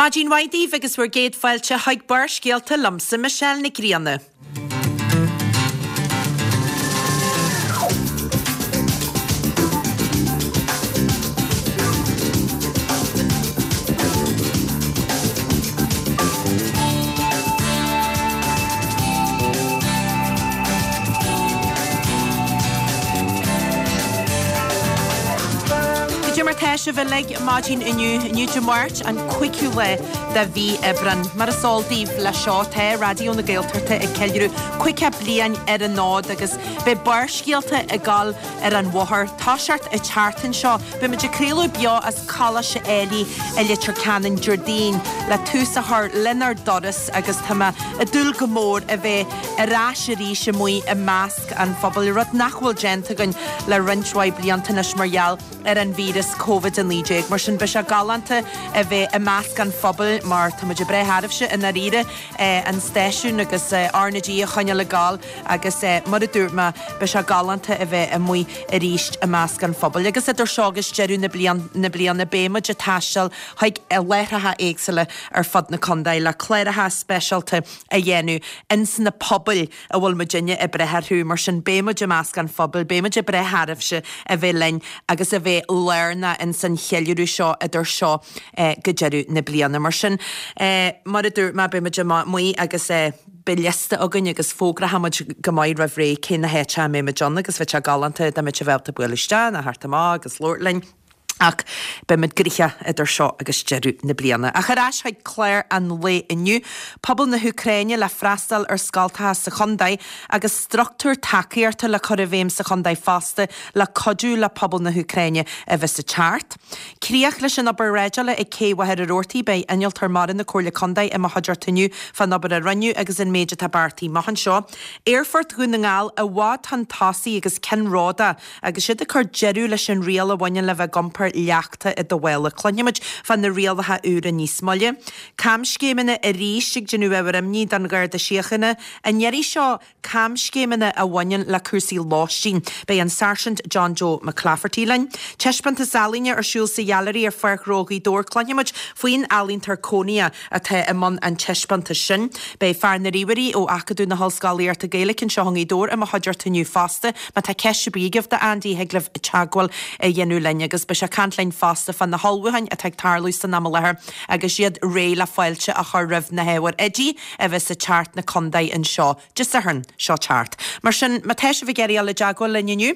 Maidin mhaith daoibh agus bhur gcéad fáilte chuig Barrscéalta liomsa, Michelle Nic Grianna. Cad é mar tá sibh uilig maidin inniu, inniu Dé Máirt an 5ú lá de mhí Aibreán. Mar is eol daoibh le seo tá Raidió na Gaeltachta ag ceiliúradh 50 bliain ar an fhód agus beidh Barrscéalta ag dul ar an bhóthar toiseacht an tseachtain seo. Beidh muid ag craoladh beo as Coláiste Ailigh i Leitir Ceanainn Déardaoin le tús a chur lenár dturas agus tá mé ag dúil go mór a bheith ar ais arís amuigh i measc an phobail, rud nach bhfuil déanta againn le roinnt mhaith blianta anois mar gheall ar an víreas Covid-19. Mar sin beidh sé galánta a bheith i measc an phobail mar tá muid ag breith oraibhse i ndáiríre, an stáisiún agus RnaG a choinneáil ag gabháil agus mar a dúirt mé beidh sé galánta a bheith amuigh arís i measc an phobail. Agus idir seo agus deireadh na bliana beidh muid ag taisteal chuig láithreacha éagsúla ar fud na contae le cláracha speisialta a dhéanamh ins na pobail a bhfuil muidinne ag breith orthu. Mar sin, beidh muid i measc an phobail, beidh muid ag breith oraibhse a bheith linn agus a bheith lárnach ins an cheiliúradh seo idir seo go deireadh na bliana. Mar sin, mar a dúirt mé, beidh muid amuigh agus beidh liosta againn agus fógróidh muid go maith roimh ré cé na háiteacha a mbeidh muid ann agus bheadh sé galánta dá mbeadh sibh ábalta bualadh isteach nó theacht amach agus labhairt linn. Ach beimid gnoitheach idir seo agus deireadh na bliana. Ach ar ais chuig clár an lae inniu, pobal na hÚcráine le freastal ar scoltacha sa chontae agus struchtúr tacaíochta le cur i bhfeidhm sa chontae fosta le cuidiú le pobal na hÚcráine a bheas ag teacht. Críoch leis an obair dhreideála ag Cé Mhachaire Rabhartaigh, beidh Innealtóir Mara na Comhairle Contae i mo chuideachta inniu fán obair a rinneadh agus an méid atá beartaithe amach anseo. Aerfort Dhún na nGall i bhfad chun tosaigh agus ceannródaíoch Agus siad ag cur deireadh leis an riail a bhaineann le bheith ag iompar leachta i do mhála. Cluinfimid fá na rialacha úra níos moille. Camscéimeanna arís ag déanamh ábhar imní don Gharda Síochána. An iarraidh seo, camscéimeanna a bhaineann le cúrsaí lóistín. Beidh an Sáirsint John Joe McClafferty linn. Taispeántas ealaíne ar siúl sa Ghailearaí ar Pháirc Ghnó Ghaoth Dobhair. Cluinfimid faoin ealaíontóir cónaithe atá i mbun an taispeántais sin. Beidh fear na ríomhairí ó Acadamh na hOllscolaíochta Gaeilge anseo i nGaoth Dobhair i mo chuideachta inniu fosta. Má tá ceist ar bith agaibh do Andy thig libh teagmháil a dhéanamh linn agus beidh sé ag caint linn fosta fá na hullmhúcháin atá ag tarlú san am i láthair agus iad réidh le fáilte a chur roimh na hábhair oidí a bheas ag teacht 'na contae anseo Dé Sathairn seo teacht. Mar sin, má tá sibh ag iarraidh dul i dteagmháil linn inniu,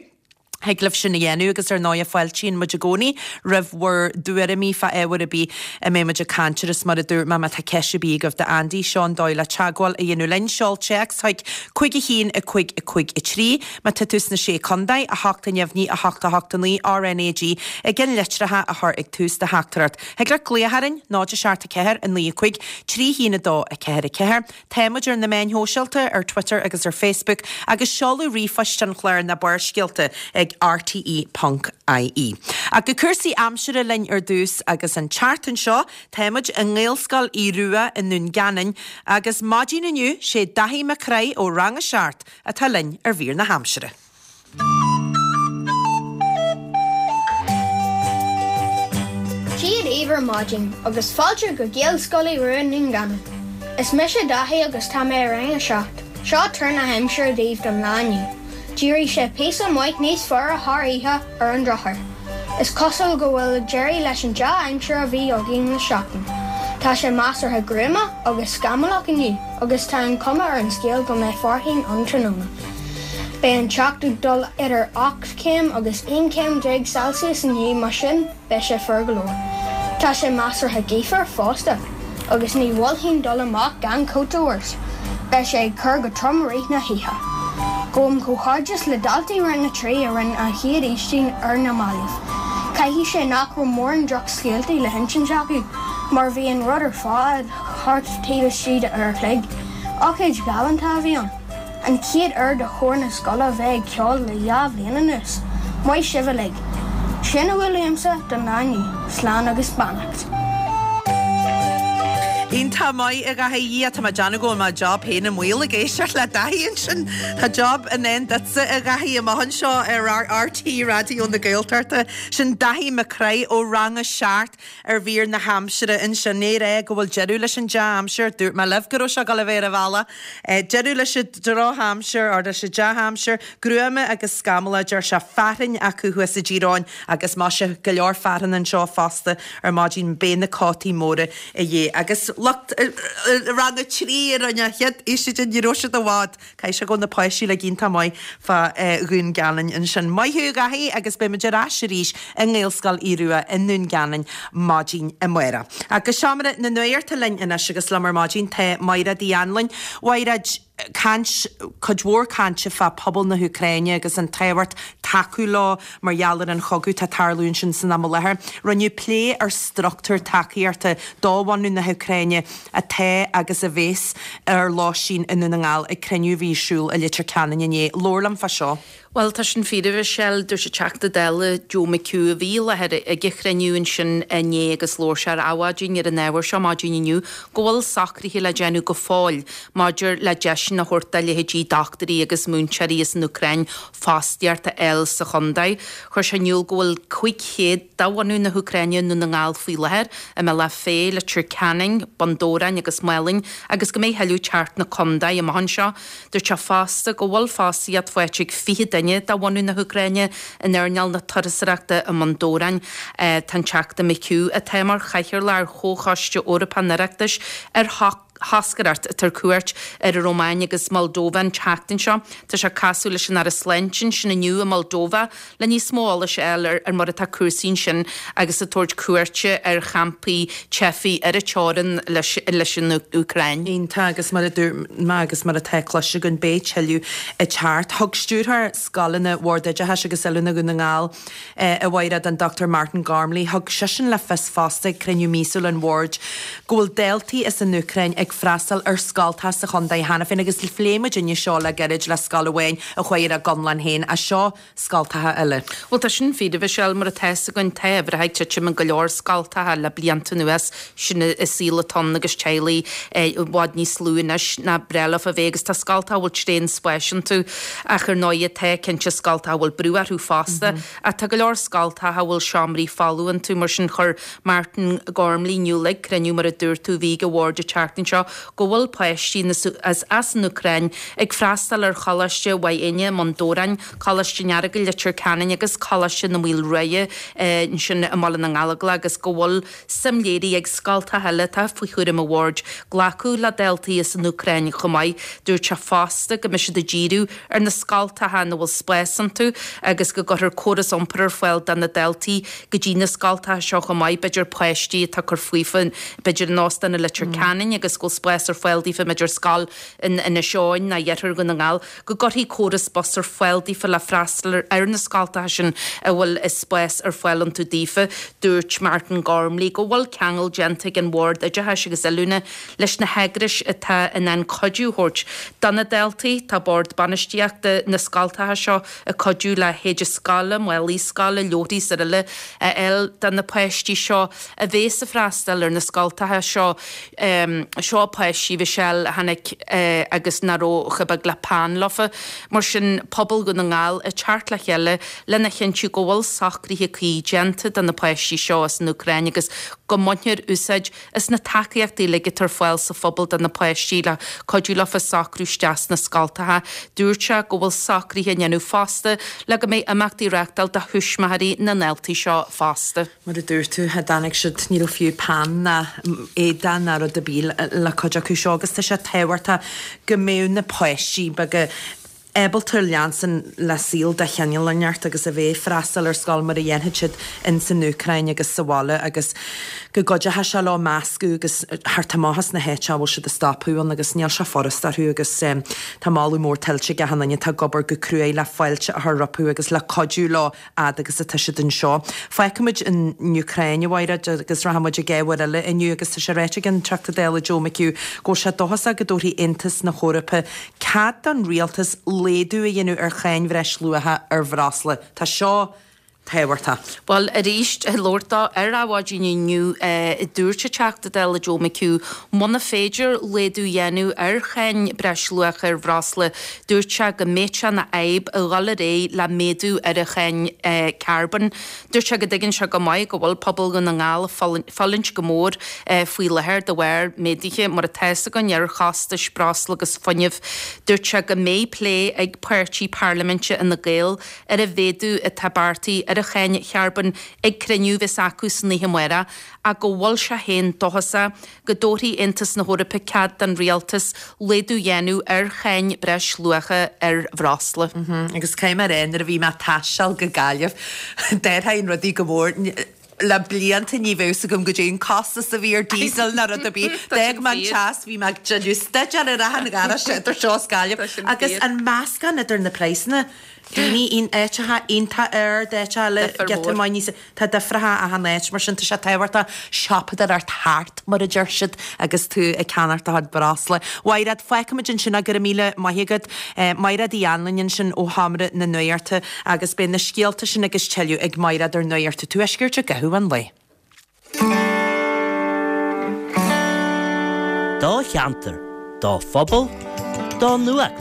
Thig libh sin a dhéanamh agus ar ndóighe fáiltíonn muid i gcónaí roimh bhur dtuairimí fá ábhar ar bith a mbeidh muid ag caint air is mar a dúirt mé má tá ceist ar bith agaibh do Andy, seo an dóigh le teagmháil a dhéanamh linn, seol téacs chuig 5 1 5 5 3 má tá tú sna Sé Contae, 8 neamhní 8 8 9 RNAG i gceannlitreacha a chur ag tús do theachtaireacht. Thig leat glaoch orainn, 0 7 4 9 5 3 1 2 4 4. Tá muid ar na meáin shóisialta, ar Twitter agus ar Facebook, agus seoladh ríomhphoist an chláir ná Barrscéalta ag rte ponc ie. Ach go cúrsaí aimsire linn ar dtús agus an tseachtain seo tá muid i nGaelscoil Aodh Rua i nDún Geanainn agus maidin inniu sé Daithí Mac Craith ó Rang a 7 atá linn ar mhír na haimsire. Dia daoibh ar maidin agus fáilte go Gaelscoil Aodh Rua i nDún Geanainn. Is mise Daithí agus tá mé i Rang 7. Seo tuar na haimsire daoibh don lá inniu. D'éirigh sé píosa maith níos fuaire thar oíche ar an drochuair. Is cosúil go bhfuil deireadh leis an dea-aimsir a bhí againn le seachtain. Tá sé measartha gruama agus scamallach inniu agus tá an chuma ar an scéal go mbeidh fearthainn ann tráthnóna. Beidh an teocht ag dul idir 8 chéim agus 11 céim Celsius inniu mar sin beidh sé fuar go leor. Tá sé measartha gaofar fosta agus ní mholfainn dul amach gan cóta ort. Beidh sé ag cur go trom i rith na hoíche. Gabhaim comhghairdeas le daltaí Rang 3 a rinne an chéad Fhaoistin ar na mallaibh. Caithfidh sé nach raibh mórán drochscéaltaí le hinsint acu mar bhí an rud ar fad thart taobh istigh de uair a chloig. Ócáid ghalánta a bhí ann. An chéad uair do chór na scoile bheith ag ceol le dhá bhliain anuas. Maith sibh uilig. Sin a bhfuil uaimse don lá inniu. Slán agus beannacht. Iontach maith, a Dhaithí. Dhia, tá mé ag déanamh go bhfuil mo job féin i mbaol ag éisteacht le Daithí ansin. Tá job i ndán duitse, a Dhaithí, amach anseo ar RTÉ Raidió na Gaeltachta. Sin Daithí Mac Craith ó Rang a 7 ar mhír na haimsire ansin. É ag rá go bhfuil deireadh leis an dea-aimsir. Dúirt mé libh go raibh sé ag dul a bheith ar an bhealach. Deireadh leis an drochaimsir, or leis an dea-aimsir. Gruama agus scamallach, deir sé, fearthainn acu thuas i dTír Eoghain agus maise, go leor fearthainn anseo fosta ar maidin. Beidh na cótaí móra a dhíth. Agus lucht rang a 3 a rinne an chéad fhaoiside, ní raibh siad i bhfad. Caithfidh sé go bhfuil na páistí uilig iontach maith fá Dhún Geanainn ansin. Maith thú a Dhaithí agus beidh muid ar ais arís i nGaelscoil Aodh Rua i nDún Geanainn maidin amárach. Go seomra na nuachta linn anois agus liom ar maidin tá Maighread Uí Anluain. Mhaighread, caint, cuid mhór cainte fá pobal na hÚcráine agus an tábhacht tacú leo mar gheall ar an chogadh atá ag tarlú ansin san am i láthair. Rinneadh plé ar struchtúr tacaíochta do bhunadh na hÚcráine atá agus a bhéas ar lóistín i nDún na nGall ag cruinniú a bhí ar siúl i Leitir Ceanainn inné. Labhair liom fá seo. Bhuel, tá sin fíor, a Mhichelle. Dúirt an Teachta Dála Joe McHugh, a bhí i láthair ag an chruinniú ansin inné agus labhair sé ar Adhmhaidin ar an ábhar seo maidin inniu, go bhfuil socruithe le déanamh go fóill maidir le deiseanna a thabhairt do leithéidí dochtúirí agus múinteoirí as an Úcráin fostaíocht a fháil sa chontae. Chuir sé in iúl go bhfuil 500 de bhunadh na hÚcráine i nDún na nGall faoi láthair, i mBealach Féich, Leitir Ceanainn, Bun Dobhráin agus Málainn agus go mbeidh thuilleadh ag teacht 'na contae amach anseo. Dúirt sé fosta go bhfuil fostaíocht faighte ag 20 duine de bhunadh na hÚcráine in earnáil na turasóireachta i mBun Dobhráin. Tá an Teachta McHugh, atá mar chathaoirleach ar Chomhchoiste Eorpach an Oireachtais ar thoscaireacht atá ar cuairt ar an Rómáin agus Moldova an tseachtain seo, tá sé ag casadh leis an Aire Sláinte ansin inniu i Moldova le níos mó eolais a fháil ar mar atá cúrsaí ansin agus ag tabhairt cuairte ar champaí teifigh ar an teorainn leis an Úcráin. Iontach, agus mar a dúirt mé agus mar atá cloiste againn, beidh tuilleadh ag teacht. Thug Stiúrthóir Scoileanna Bhord Oideachais agus Oiliúna Dhún na nGall, a Mhaighread, an Dr Martin Gormley, thug seisean le fios fosta ag cruinniú míosúil an Bhoird go bhfuil daltaí as an Úcráin ag freastal ar scoltacha sa chontae cheana féin agus phléigh muidinne seo le gairid le scoil amháin a chuaigh ar an gConlán féin ach seo scoltacha eile. Bhuel tá sin fíor, a Mhichelle, mar atá fhios againn tá uimhreacha ag titim in go leor scoltacha le blianta anuas, sin an saol atá ann agus teaghlaigh i bhfad níos lú anois ná breá leofa a bheith agus tá scoltacha a bhfuil tréan spáis iontu ach ar ndóighe tá cinnte scoltacha a bhfuil brú orthu fosta ach tá go leor scoltacha a bhfuil seomraí folamh iontu mar sin chuir Martin Gormley in iúl ag cruinniú mar a dúirt tú a bhí ag an bhord an tseachtain seo go bhfuil páistí as an Úcráin ag freastal ar Choláiste Mhaigh Éinne i mBun Dobhráin, Coláiste an Earagail, Leitir Ceanainn agus Coláiste na Maoile Ruaidhe ansin i mBaile na nGallóglach agus go bhfuil suim léirithe ag scoltacha eile atá faoi chúram an bhoird glacadh le daltaí as an Úcráin chomh maith. Dúirt sé fosta go mbeidh siad ag díriú ar na scoltacha ina bhfuil spás iontu agus go gcuirfear córas iompair ar fáil do na daltaí go dtí na scoltacha seo chomh maith, b'fhéidir páistí atá ag cur faofa b'fhéidir in óstán i Leitir Ceanainn agus go bhfuil spás ar fáil daofa b'fhéidir scoil in Inis Eoghain ná iarthar Dhún na nGall, go gcuirfí córas bus ar fáil daofa le freastal ar na scoltacha sin a bhfuil spás ar fáil iontu daofa. Dúirt Martin Gormley go bhfuil ceangal déanta ag an Bhord Oideachais agus Oiliúna leis na heagrais atá in ann cuidiú a thabhairt do na daltaí. Tá Bord Bainistíochta na scoltacha seo ag cuidiú le héide scoile, málaí scoile, leabharthaí is araile a fháil do na páistí seo a bhéas ag freastal ar na scoltacha seo. Seo páistí, Mhichelle, a tháinig agus nach raibh chomh beag le peann leofa. Mar sin, pobal Dhún na nGall ag teacht le chéile lena chinntiú go bhfuil socruithe cuí déanta do na páistí seo as an Úcráin agus go mbainfear úsáid as na tacaíochtaí uilig atá ar fáil sa phobal do na páistí le cuidiú leofa socrú isteach sna scoltacha. Dúirt sé go bhfuil socruithe á ndéanamh fosta le go mbeidh imeachtaí á reáchtáil do thuismitheoirí na ndaltaí seo fosta. Mar a dúirt tú, a dtáinig siad, ní raibh fiú peann ná éadach ná rud ar bith le cuid acu seo agus tá sé tábhachtach go mbeadh na páistí beaga ábalta leanstan le saol de chineál inteacht agus a bheith ag freastal ar scoil mar a dhéanfadh siad ins an Úcráin agus sa bhaile agus go gcuideochadh sé leo meascadh agus theacht amach as na háite a bhfuil siad ag stopadh ann agus níl sé furast orthu agus tá moladh mór tuillte ag achan duine atá ag obair go cruaidh le fáilte a chur rompu agus le cuidiú leo fhad agus atá siad anseo. Fágfaimid an Úcráin, a Mhaighread, agus rachaimid ag ábhar eile inniu agus tá sé ráite ag an Teachta Dála Joe McHugh go bhfuil sé dóchasach go dtabharfaidh Aontas na hEorpa cead don rialtas laghdú a dhéanamh ar cháin bhreisluacha ar bhreosla. Tá seo. Tábhachtach. Bhuel, arís, ag labhairt dó ar Adhmhaidin inniu, dúirt an Teachta Dála Joe McHugh, muna féidir laghdú a dhéanamh ar cháin breisluacha ar bhreosla, dúirt sé go mbeadh sé ina fhadhb a dhul ar aghaidh le méadú ar an cháin carbóin. Dúirt sé go dtuigeann sé go maith go bhfuil pobal Dhún na nGall ag fulaingt go mór faoi láthair de bharr méaduithe, mar atá fhios againn, ar chostais breosla agus fuinnimh. Dúirt sé go mbeidh plé ag páirtí parlaiminte Fhine Gael ar an mhéadú atá beartaithe ar an cháin charbóin ag cruinniú a bheas acu san oíche amárach ach go bhfuil sé féin dóchasach go dtabharfaidh Aontas na hEorpa cead don rialtas laghdú a dhéanamh ar cháin breisluacha ar bhreosla. Agus caithfidh mé a rá nuair a bhí mé ag taisteal go Gaillimh d'athraigh rudaí go mór. Le blianta ní bheadh fhios agam goidé an costas a bhí ar diesel ná rud ar bith. D'fhág mé an teas, bhí mé ag déanamh staidéar ar achan gharáiste idir seo is Gaillimh. Agus an meascán idir na praghsanna, daoine in áiteacha iontach ard, áiteacha eile giota maith níos, tá difreacha achan áit, mar sin tá sé tábhachtach siopadóireacht thart, mar a deir siad, agus tú ag ceannacht do chuid breosla. Mhaighread, fágfaimid ansin é, go raibh míle maith agat. Maighread Uí Anluain ansin ó Sheomra na Nuachta agus beidh na scéalta sin agus tuilleadh ag Maighread ar Nuacht an Tuaiscirt i gcaitheamh an lae. Do cheantar, do phobal, do nuacht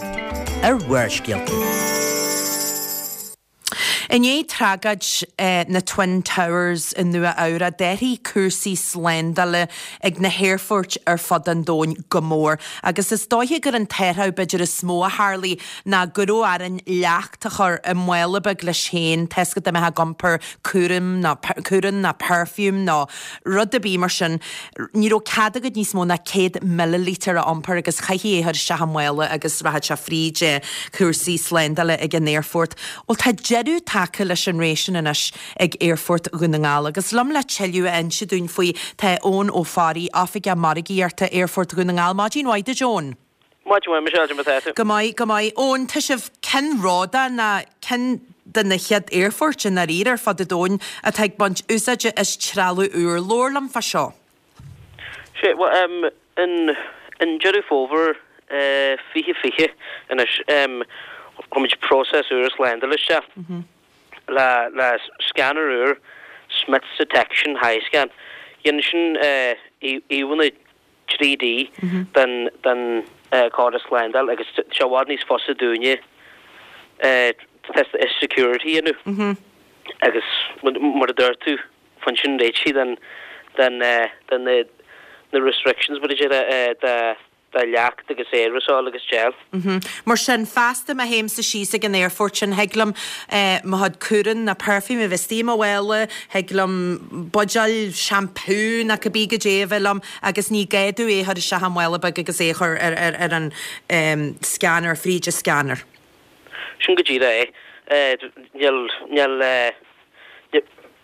ar Bharrscéalta. I ndiaidh tragóid na Twin Towers i Nua Eabhrac, d'athraigh cúrsaí slándála ag na haerfoirt ar fud an domhain go mór. Agus is dóiche gur an t-athrú b'fhéidir is mó a tharlaigh ná go raibh orainn leacht a chur i mála beag leis féin, tá 'fhios agat dá mbeifeá ag iompar cúram nó cúrán nó perfume nó rud ar bith mar sin. Ní raibh cead agat níos mó ná 100 millilítear a iompar agus chaithfí é a chur isteach i mála agus rachadh sé fríd cúrsaí slándála ag an aerfort. Bhuel tá deireadh tagtha leis an ré sin anois ag Aerfort Dhún na nGall agus liom le tuilleadh a inse dúinn faoi tá Eoin Ó Fearraigh, Oifigeach Margaíochta Aerfort Dhún na nGall. Maidin mhaith duit Eoin. Maidin mhaith, Michelle, cad é mar atá tú? Go maith, go maith. Eoin, tá sibh ceannródaíoch nó ceann de na chéad aerfoirt i ndáiríre ar fud an domhain atá ag baint úsáide as trealamh úr. Labhair liom fá seo. Sé, bhuel, em, in, in Deireadh Fómhair, eh, 2020 anois, em, chuir muid próiseas úr slándála isteach le, le scanner úr, Smiths Detection Hyscan. Dhéanann sin, eh, íomhánna 3D den den chóras slándála agus tá sé i bhfad níos fusa dúinne test security a dhéanamh agus mar a dúirt tú bhain sin réitithe den den den na restrictions mar a déarfá de de leacht agus aerasól agus gel. Mar sin, feasta má théimse síos ag an aerfort sin, thig liom mo chuid cúrán nó perfume a bheith istigh i mo mhála, thig liom buidéal shampoo nó cibé goidé a bheith liom agus ní gá domh é a chur isteach i mála beag agus é a chur ar an scanner, fríd an scanner. Sin go díreach é. Níl, níl,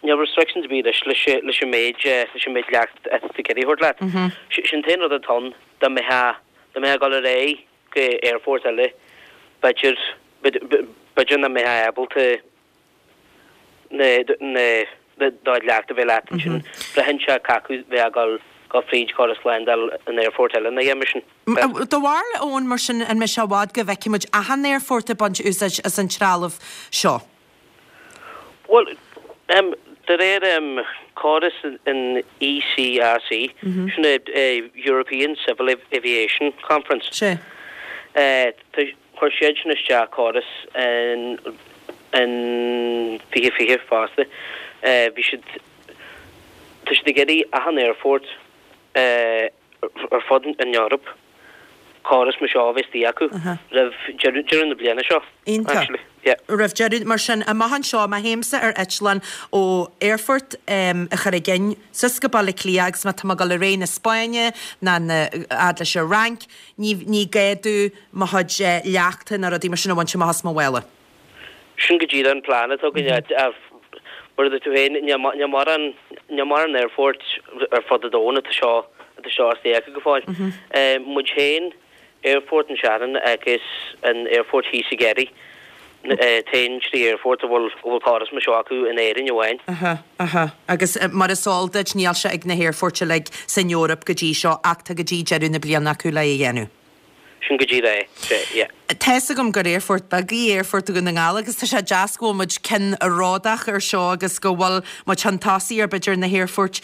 níl restrictions ar bith anois leis an méid, leis an méid leacht atá tú ag iarraidh a thabhairt leat. Sin an t-aon rud atá ann, dá mbeifeá, dá mbeifeá ag dul ar aghaidh go aerfort eile, b'fhéidir, b'fhéidir nach mbeifeá ábalta na, na, do chuid leacht a bheith leat ansin. Braitheann sé cé acu bheith ag dul go fríd chóras slándála an aerfoirt eile ina dhiaidh sin. Do bharúil, Eoin, mar sin, an mbeidh sé i bhfad go bhfeicfidh muid achan aerfort ag baint úsáid as an trealamh seo? Bhuel, de réir córas an ECAC, sin é European Civil Aviation Conference, chuir siad sin isteach córas in 2020 fosta. Bhí siad, tá siad ag iarraidh achan aerfort ar fud an Eoraip córas mar seo a bheith istigh acu roimh deireadh na bliana seo actually. Yeah. Roimh deireadh, mar sin, amach anseo, má théimse ar eitleán ó aerfort an Charraig Fhinn suas go Baile Átha Cliath agus má tá mé ag dul ar aghaidh na Spáinne ná na fhad leis an Fhrainc, ní ní gá domh mo chuid leachta ná rudaí mar sin a bhaint amach as mo mhála. Sin go díreach an plean atá againn. Mar a dúirt tú féin, níl mórán, níl mórán aerfoirt ar fud an domhain atá seo, atá seo istigh acu go fóill. Muid féin, Aerfort an Shannon agus an aerfort thíos i gCerry, t-aon trí aerfort a bhfuil, a bhfuil córas mar seo acu in Éirinn amháin. Aha, aha. Agus mar is eol duit, níl sé ag na haerfoirt uilig san Eoraip go dtí seo ach tá go dtí deireadh na bliana acu le é a dhéanamh. Sin go díreach é. Sea, yeah. Tá's agam gur aerfort beag í Aerfort Dhún na nGall agus tá sé deas go bhfuil muid ceannródach ar seo agus go bhfuil muid chun tosaigh ar b'fhéidir na haerfoirt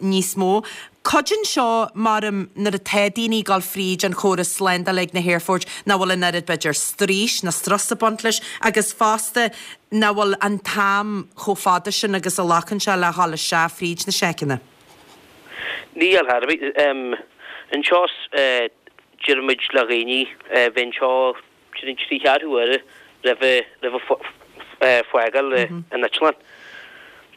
níos mó. Cuidíonn seo, maram, nuair atá daoine ag dul fríd an chóras slándála ag na haerfoirt nach bhfuil an oiread b'fhéidir straois ná strus ag baint leis agus fosta nach bhfuil an t-am chomh fada sin agus a ghlacann sé le dhul isteach fríd na seiceanna. Níl ar bith. Anseo deirimid le dhaoine bheith anseo trí cheathrú uaire roimh fágáil an eitleáin.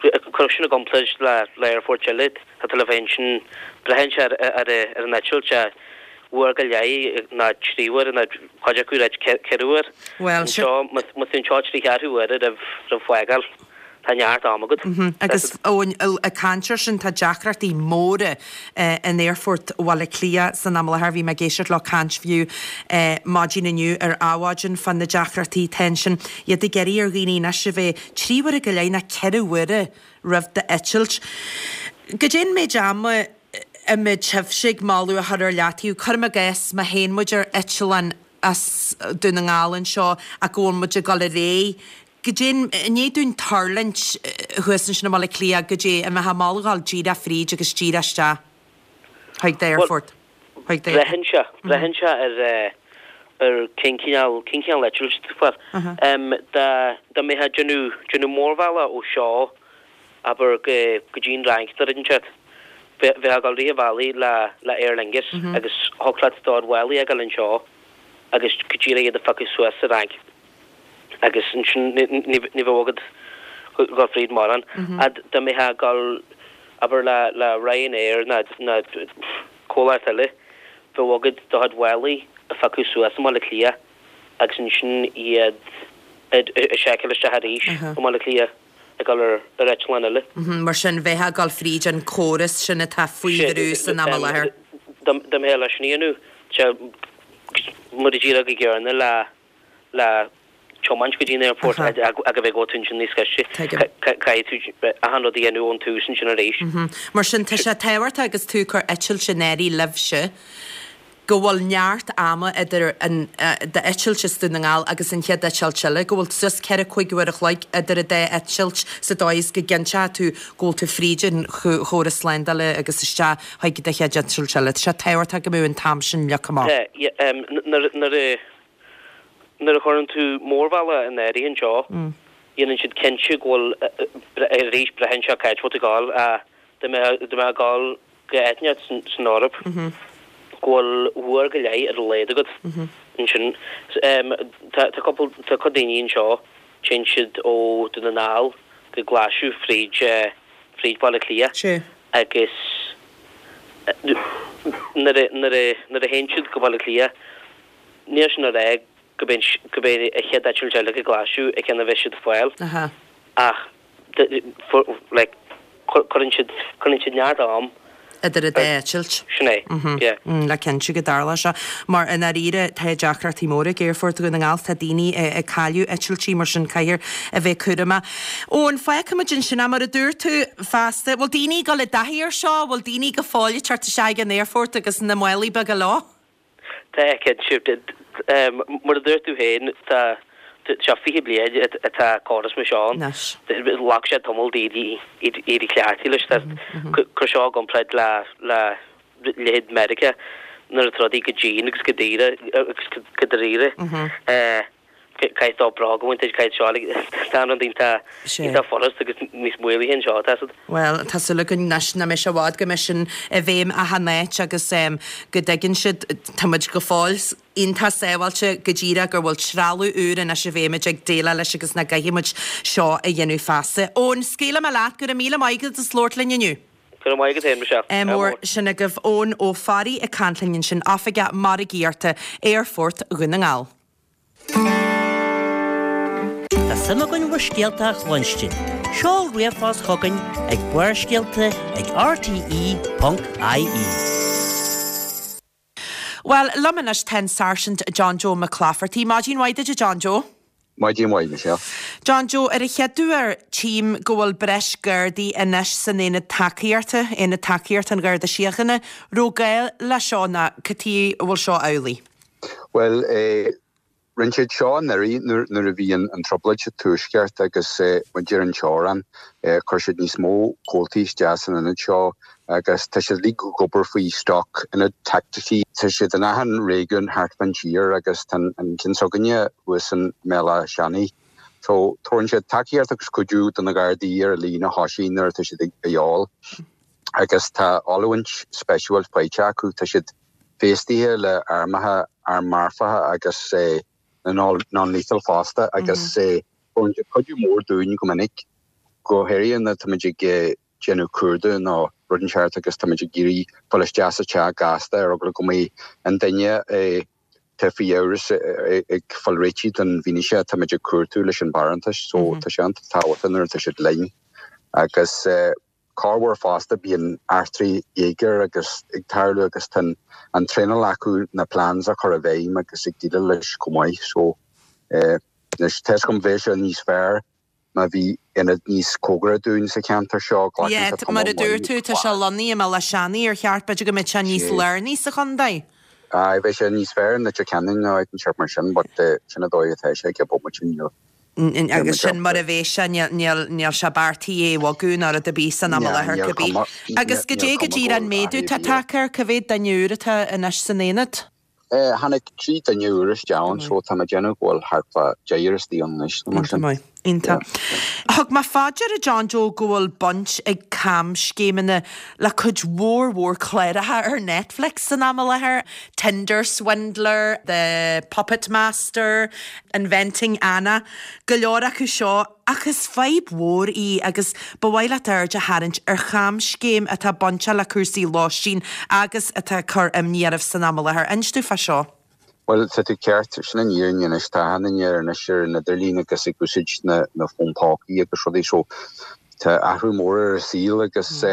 Cuir sin i gcomparáid le aerfoirt eile, tá tú le bheith ansin, braitheann sé ar an eitilt, uair go leith nó 3 uaire nó cuid acu ag ráit 4 uair. Anseo, má tá tú anseo trí cheathrú uaire roimh fágáil. Tá neart am agat. Agus Eoin, ag caint ar sin, tá deacrachtaí móra in Aerfort Bhaile Átha Cliath san am i láthair. Bhí mé ag éisteacht leo ag caint fiú maidin inniu ar Adhmhaidin fá na deacrachtaí atá ansin. Iad ag iarraidh ar dhaoine anois a bheith 3 uaire go leith nó 4 uaire roimh d'eitilt. Goidé an méid ama a mbeadh sibhse ag moladh a chur ar leataobh? Cuirim i gcás, má théann muid ar eitleán as Dún na nGall anseo ach go bhfuil muid ag dul ar aghaidh, Goidé, i ndiaidh dúinn tuirlingt thuas ansin i mBaile Átha Cliath, goidé an mbeifeá ag moladh dhul díreach fríd agus díreach isteach chuig d'aerfort, chuig d'aerfort. Braitheann sé, braitheann sé ar ar cén cineál, cén cineál eitilt atá tú ag fáil. Dá, dá mbeifeá ag déanamh, déanamh mórbhealach ó seo, abair, go, go dtí an Fhrainc nó rud inteacht, bheifeá ag dul rith an bhealaigh le, le Aer Lingus agus thiocfadh leat do chuid málaí a fhágáil anseo agus go díreach iad a phiocadh suas sa Fhrainc. agus ansin ní bheadh agat dhul fríd mórán. Fhad dá mbeifeá ag dul, abair, le Ryanair nó comhlacht eile, bheadh agat do chuid mhálaí a phiocadh suas i mBaile Átha Cliath agus ansin iad a sheiceáil isteach arís i mBaile Átha Cliath ag dul ar eitleán eile. Mar sin, bheifeá ag dul fríd an córas sin atá faoi bhrú san am i láthair. Dá mbeifeá leis sin a dhéanamh, mar a déarfá go gcéanna le le tiomáint go dtí an aerfort ach a bheith ag gabháil ansin níos gaiste. Caithfidh tú achan rud a dhéanamh ón tús ansin arís. Mar sin, tá sé tábhachtach agus tú ag cur eitilt in áirithe libhse go bhfuil neart ama idir an d'eitilt as Dún na nGall agus an chéad eitilt eile, go bhfuil suas 4, 5 uair a chloig idir an dá eitilt sa dóigh is go gcinnteoidh tú go bhfuil tú fríd an chóras slándála agus isteach chuig do chéad eitilt eile. Tá sé tábhachtach go mbeadh an t-am sin leagtha amach. Tá, nuair a Nuair a chuireann tú mórbhealach in áirithe anseo, déanann siad cinnte go bhfuil, arís, braitheann sé cá háit a bhfuil tú ag dul, dá mbeifeá ag dul go áit inteacht san Eoraip, go bhfuil uair go leith ar a laghad agat ansin. Tá cúpla, tá cuid daoine anseo, téann siad ó Dún na nGall go Glaschú fríd, fríd Baile Átha Cliath agus nuair a, nuair a, nuair a théann siad go Baile Átha Cliath, Níl sin a rá go b'é an chéad eitilt eile go Glaschú an ceann a bheidh siad ag fáil ach like cuireann siad cuireann siad neart am idir an dá eitilt. Sin é, yeah. Le cinntiú go dtarlóidh sé. Mar i ndáiríre tá deacrachtaí móra ag Aerfort Dhún na nGall, tá daoine ag cailleadh eitiltí mar sin caithfear a bheith cúramach. Eoin, fágfaimid ansin é mar a dúirt tú feasta. Bhfuil daoine ag dul i dtaithí ar seo? Bhfuil daoine go fóill ag teacht isteach ag an aerfort agus na málaí beaga leo? Tá, cinnte. Mar a dúirt tú féin, tá sé 20 bliain atá córas mar seo ann. Ghlac sé tamall d'éirí cleachtaithe leis. Cuir seo i gcomparáid le leithéid Meiriceá nuair atá rudaí go dian agus go daor agus go dáiríre. Caithfidh tú bróg a bhaint duit, caithfidh seo, like, tá an rud iontach, iontach furast agus níos maolaithe anseo, tá siad. Bhuel, tá súil againn anois nach mbeidh sé i bhfad go mbeidh sin i bhfeidhm achan áit agus go dtuigeann siad, tá muid go fóill iontach sábháilte go díreach gur bhfuil trealamh úr anois i bhfeidhm muid ag déileáil leis agus nach gcaithfidh muid seo a dhéanamh feasta. Eoin, scaoilfidh mé leat, go raibh míle maith agat as labhairt linn inniu. Go raibh maith agat féin, Michelle. Ádh mór. Sin agaibh Eoin Ó Fearraigh ag caint linn ansin, Oifigeach Margaíochta Aerfort Dhún na nGall. Tá suim againn bhur scéalta a chluinstin. Seol ríomhphost chugainn ag barrscéalta ag rte.ie. Bhuel, liom anois tá an Sáirsint John Joe Mac Laifeartaigh. Maidin mhaith duit, a John Joe. Maidin mhaith, Michelle. John Joe, ar an chéad uair, tchím go bhfuil breis Gardaí anois san Aonad Tacaíochta, Aonad Tacaíochta an Gharda Síochána. Raibh gá le seo nó cad chuige a bhfuil seo amhlaidh? Bhuel, rinne siad seo anuraidh nuair a bhí an trioblóid sa Tuaisceart agus muid ar an teorainn. Chuir siad níos mó comhaltaí isteach san ionad seo agus tá siad uilig ag obair faoi stoc ionad taicticí. Tá siad in achan réigiún thart fán tír agus tá an ceann s'againne thuas i mBéal Átha Seanaidh. So, tabharann siad tacaíocht agus cuidiú do na Gardaí ar an líne thosaigh nuair atá siad a dhíobháil agus tá oiliúint speisialta faighte acu. Tá siad feistithe le armacha, arm marfacha agus non-lethal fosta agus tabharann siad cuidiú mór dúinn go minic, go háirithe nuair táimid ag déanamh cuardaigh nó rud inteacht agus táimid ag iarraidh fáil isteach sa teach gasta ar eagla go mbeidh an duine atá faoi amhras ag fáil réitithe don bhfianaise atáimid ag cuartú leis an barántas so tá sé an-tábhachtach nuair atá siad linn agus Corruair fosta bíonn eachtraí éigir agus ag tarlú agus tá an traenáil acu na plans a chur i bhfeidhm agus ag déileáil leis chomh maith so anois tá 'fhios agam bheadh sé níos fearr má bhí ionad níos cóngaraí dúinn sa cheantar seo glacann Yeah, sé mar tamall a dúirt maith tú tá sé lonnaithe i mBéal Átha Seanaidh ar cheart b'fhéidir go mbeadh sé níos lárnaí sa chontae. Aye, bheadh sé níos fearr i Leitir Ceanainn nó áit inteacht mar sin but sin an dóigh atá sé ag an bomaite níl Agus sin mar a bheas sé, níl sé beartaithe é a bhogadh ná rud ar bith san am i láthair cibé. Agus goidé go díreach an méadú atá tagtha air, cá mhéad duine úr atá anois san aonad? Tháinig 3 duine úr isteach ann so tá mé ag déanamh go bhfuil thart fá deichniúr istigh ann anois nó mar sin. Iontach maith. Iontach. Thug mé fá deara John Joe go bhfuil baint ag camscéimeanna le cuid mhór mhór cláracha ar Netflix san am i láthair, Tinder Swindler, The Puppet Master, Inventing Anna, go leor acu seo, ach is fadhb mhór í agus ba mhaith leat aird a tharraingt ar chamscéim atá bainteach le cúrsaí lóistín agus atá ag cur imní oraibh san am i láthair. Inis domh fá seo. Bhuel, tá tú ceart, sin an fhírinne anois, tá achan duine anois ar an idirlíon agus ag úsáid na fón pócaí agus rudaí so tá athrú mór ar an saol agus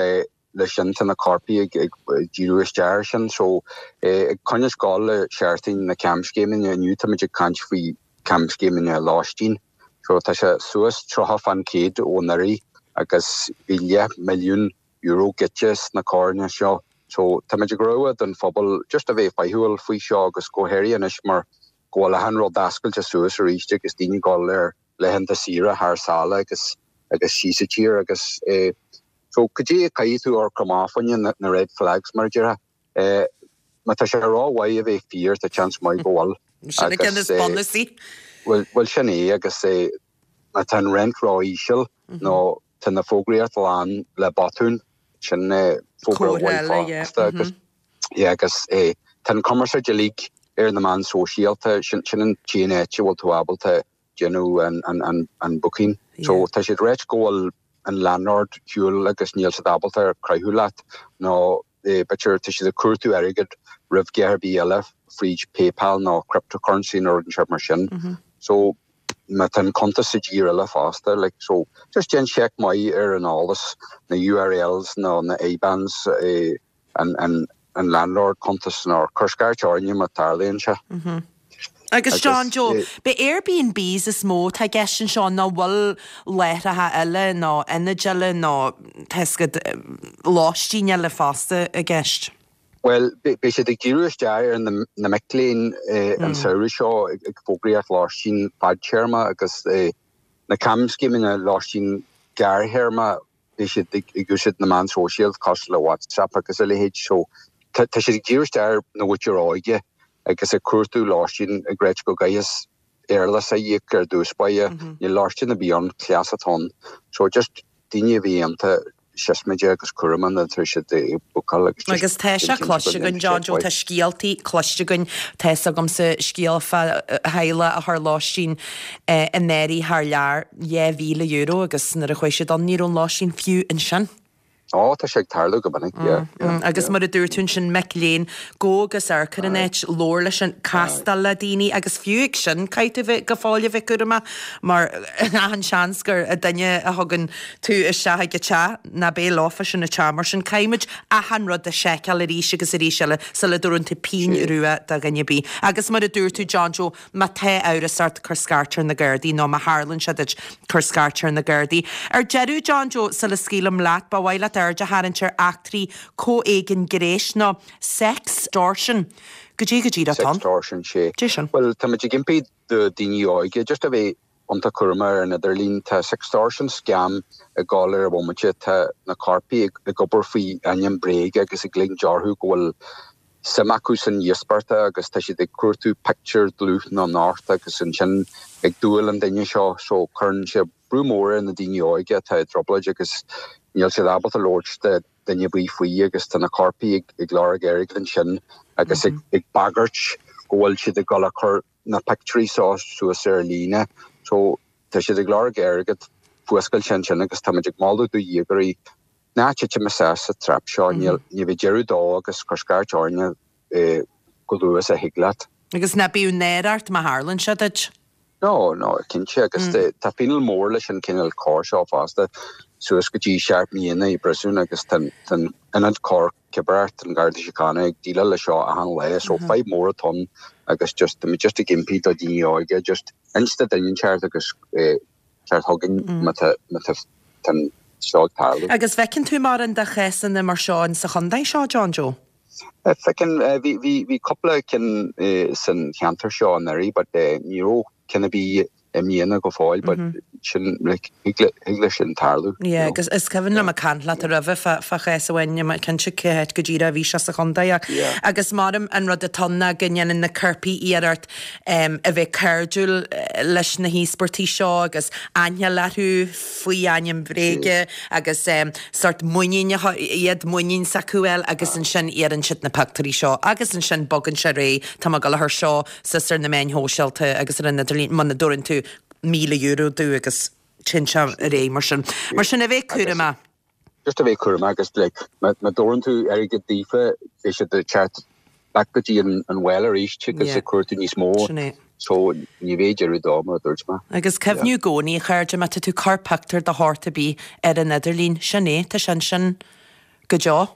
leis sin tá na coirpigh ag díriú isteach air sin. So ag coinneáil gabháil le seachtain na camscéimeanna inniu táimid ag caint faoi camscéimeanna lóistín. So tá sé suas 30% ó anuraidh agus bhí leath milliún euro goidte sna coireanna seo. So táimid ag rabhadh don phobal just a bheith faichiúil faoi seo agus go háirithe anois mar go bhfuil achan rud oscailte suas arís agus daoine ag dul ar laethanta saoire thar sáile agus agus síos sa tír agus eh So cad é a caithfidh tú amharc amach fá choinne na red flags mar a déarfá. Eh má tá sé ró-mhaith a bheith fíor tá seans maith go bhfuil. Sin an ceann is bunúsaí. Bhuel bhuel sin é agus eh má tá an rent ró-íseal nó tá na fógraíocht lán le botúin sin eh fógra mhaith fosta agus yeah agus eh tá an cumarsáid uilig ar na meáin sóisialta sin sin an t-aon áit a bhfuil tú ábalta déanamh an booking. So tá siad ráite go bhfuil an landlord ar shiúl agus níl siad ábalta cruthú leat nó b'fhéidir tá siad ag cuartú airgead roimh dhath ar bith eile fríd PayPal nó cryptocurrency nó rud inteacht mar sin. So má tá an cuntas sa dtír eile fosta like so just déan check maith ar an eolas, na URLs nó na IBANs an an landlord cuntas nó cuir scairt orainne má tarlaíonn sé. Agus John Joe, b'é Airbnbs is mó atá i gceist anseo nó bhfuil láithreacha eile nó ionaid eile nó tá 'fhios agat lóistín eile fosta i gceist? Bhuel, beidh siad ag díriú isteach ar na mic léinn an samhradh seo ag fógraíocht lóistín fadtéarma agus na camscéimeanna lóistín gearrthéarma beidh siad ag úsáid na meán sóisialta cosúil le WhatsApp agus a leithéid so tá siad ag díriú isteach ar na mhuintir óige agus ag cuartú lóistín ag ráit go gcaithfeas éarlais a íoc ar dtús báire, níl lóistín ar bith ann, cleas atá ann. So just daoine a bhí ionta siosmaide agus cúramach nuair atá siad ag bookáil agus just Agus tá sé cloiste againn John Joe, tá scéaltaí cloiste againn, tá 'fhios agamsa scéal fá theaghlach a chuir lóistín in áirithe thar lear, €2,000 agus nuair a chuaigh siad ann ní raibh an lóistín fiú ansin. Ó, tá sé ag tarlú go minic, yeah, yeah. Agus mar a dúirt tú ansin, mic léinn, gabh agus amharc ar an áit, labhair leis an, castáil le daoine agus fiú ag sin caithfidh tú bheith go fóill a bheith cúramach mar achan seans gur duine a thugann tú isteach ag an teach ná beidh leofa sin an teach mar sin caithfimid achan rud a sheiceáil arís agus arís eile sula dtabharann tú pingin rua do dhuine ar bith. Agus mar a dúirt tú John Joe, Má tá amhras ort, cuir scairt ar na Gardaí, nó má tharlaíonn sé duit, cuir scairt ar na Gardaí. Ar deireadh, John Joe, sula scaoilim leat, ba mhaith leat. aird a tharraingt ar eachtraí comhéigin gnéis nó sextortion. Goidé go díreach atá ann? Sextortion, sé. Dé sin. Bhuel, táimid ag impí do daoine óige just a bheith iontach cúramach ar an idirlíon. Tá sextortion scam ag gabháil ar an bhomaite. Tá na coirpigh ag obair faoi ainm bréige agus ag ligint orthu go bhfuil suim acu san íospartach agus tá siad ag cuartú pictiúr dlúth nó nocht agus ansin ag dúil an duine seo so cuireann sé brú mór ar na daoine óige atá i dtrioblóid agus níl siad ábalta labhairt le duine ar bith faoi agus tá na coirpigh ag lorg airgid ansin agus ag bagairt go bhfuil siad ag dul a chur na pictiúirí seo suas ar líne so tá siad ag lorg airgead fuascailte ansin agus táimid ag moladh do dhéagóirí ná titim isteach sa trap seo, níl, ní bheidh deireadh dó agus cuir scairt orainne chomh luath is a thig leat. Agus ná bíodh náire ort má tharlaíonn sé duit. No, no, cinnte, agus tá fíneáil mór leis an cineál coir seo fosta, suas go dtí 7 mbliana i bpríosún agus tá an Ionad Coir Cibear, an Garda Síochána ag déileáil leis seo achan lá, so fadhb mór atá ann agus just, tá muid just ag impí do dhaoine óige just inis do duine inteacht agus teacht chugainn má tá, má tá an seo ag tarlú. Agus bhfeiceann tú mórán de chásanna mar seo in sa chontae seo, John Joe? Feiceann, bhí, bhí, bhí cúpla ceann san cheantar seo anuraidh but ní raibh ceann ar bith i mbliana go fóill but sin, like, thig le, thig leis sin tarlú, you Yeah, know. agus is cuimhin liom ag caint leat roimhe fá, fá chás amháin, níl mé cinnte cá háit go díreach a bhí sé sa chontae ach, Yeah. agus maram an rud atá ann ná go ndéanann na coirpigh iarracht a bheith cairdiúil leis na híospartaigh seo agus aithne a fháil orthu faoi ainm bhréige agus sórt muinín a iad muinín s'acu a fháil agus ansin iarrann siad na pictiúirí seo agus ansin bogann sé ar aghaidh, tá mé ag dul a chur seo suas ar na meáin shóisialta agus ar an idirlíon muna dtabharann tú €1,000 domh agus téann sé ar aghaidh mar sin. Mar sin a bheith cúramach. Just a bheith cúramach agus like má dtabharann tú airgead daofa beidh siad ag teacht back go dtí an well arís agus ag cuartú níos mó so ní bheidh deireadh dó mar a dúirt mé. Agus cuimhniú i gcónaí a chairde má tá tú ag cur pictiúr de shórt ar bith ar an idirlíon, sin é, tá sé ansin go deo.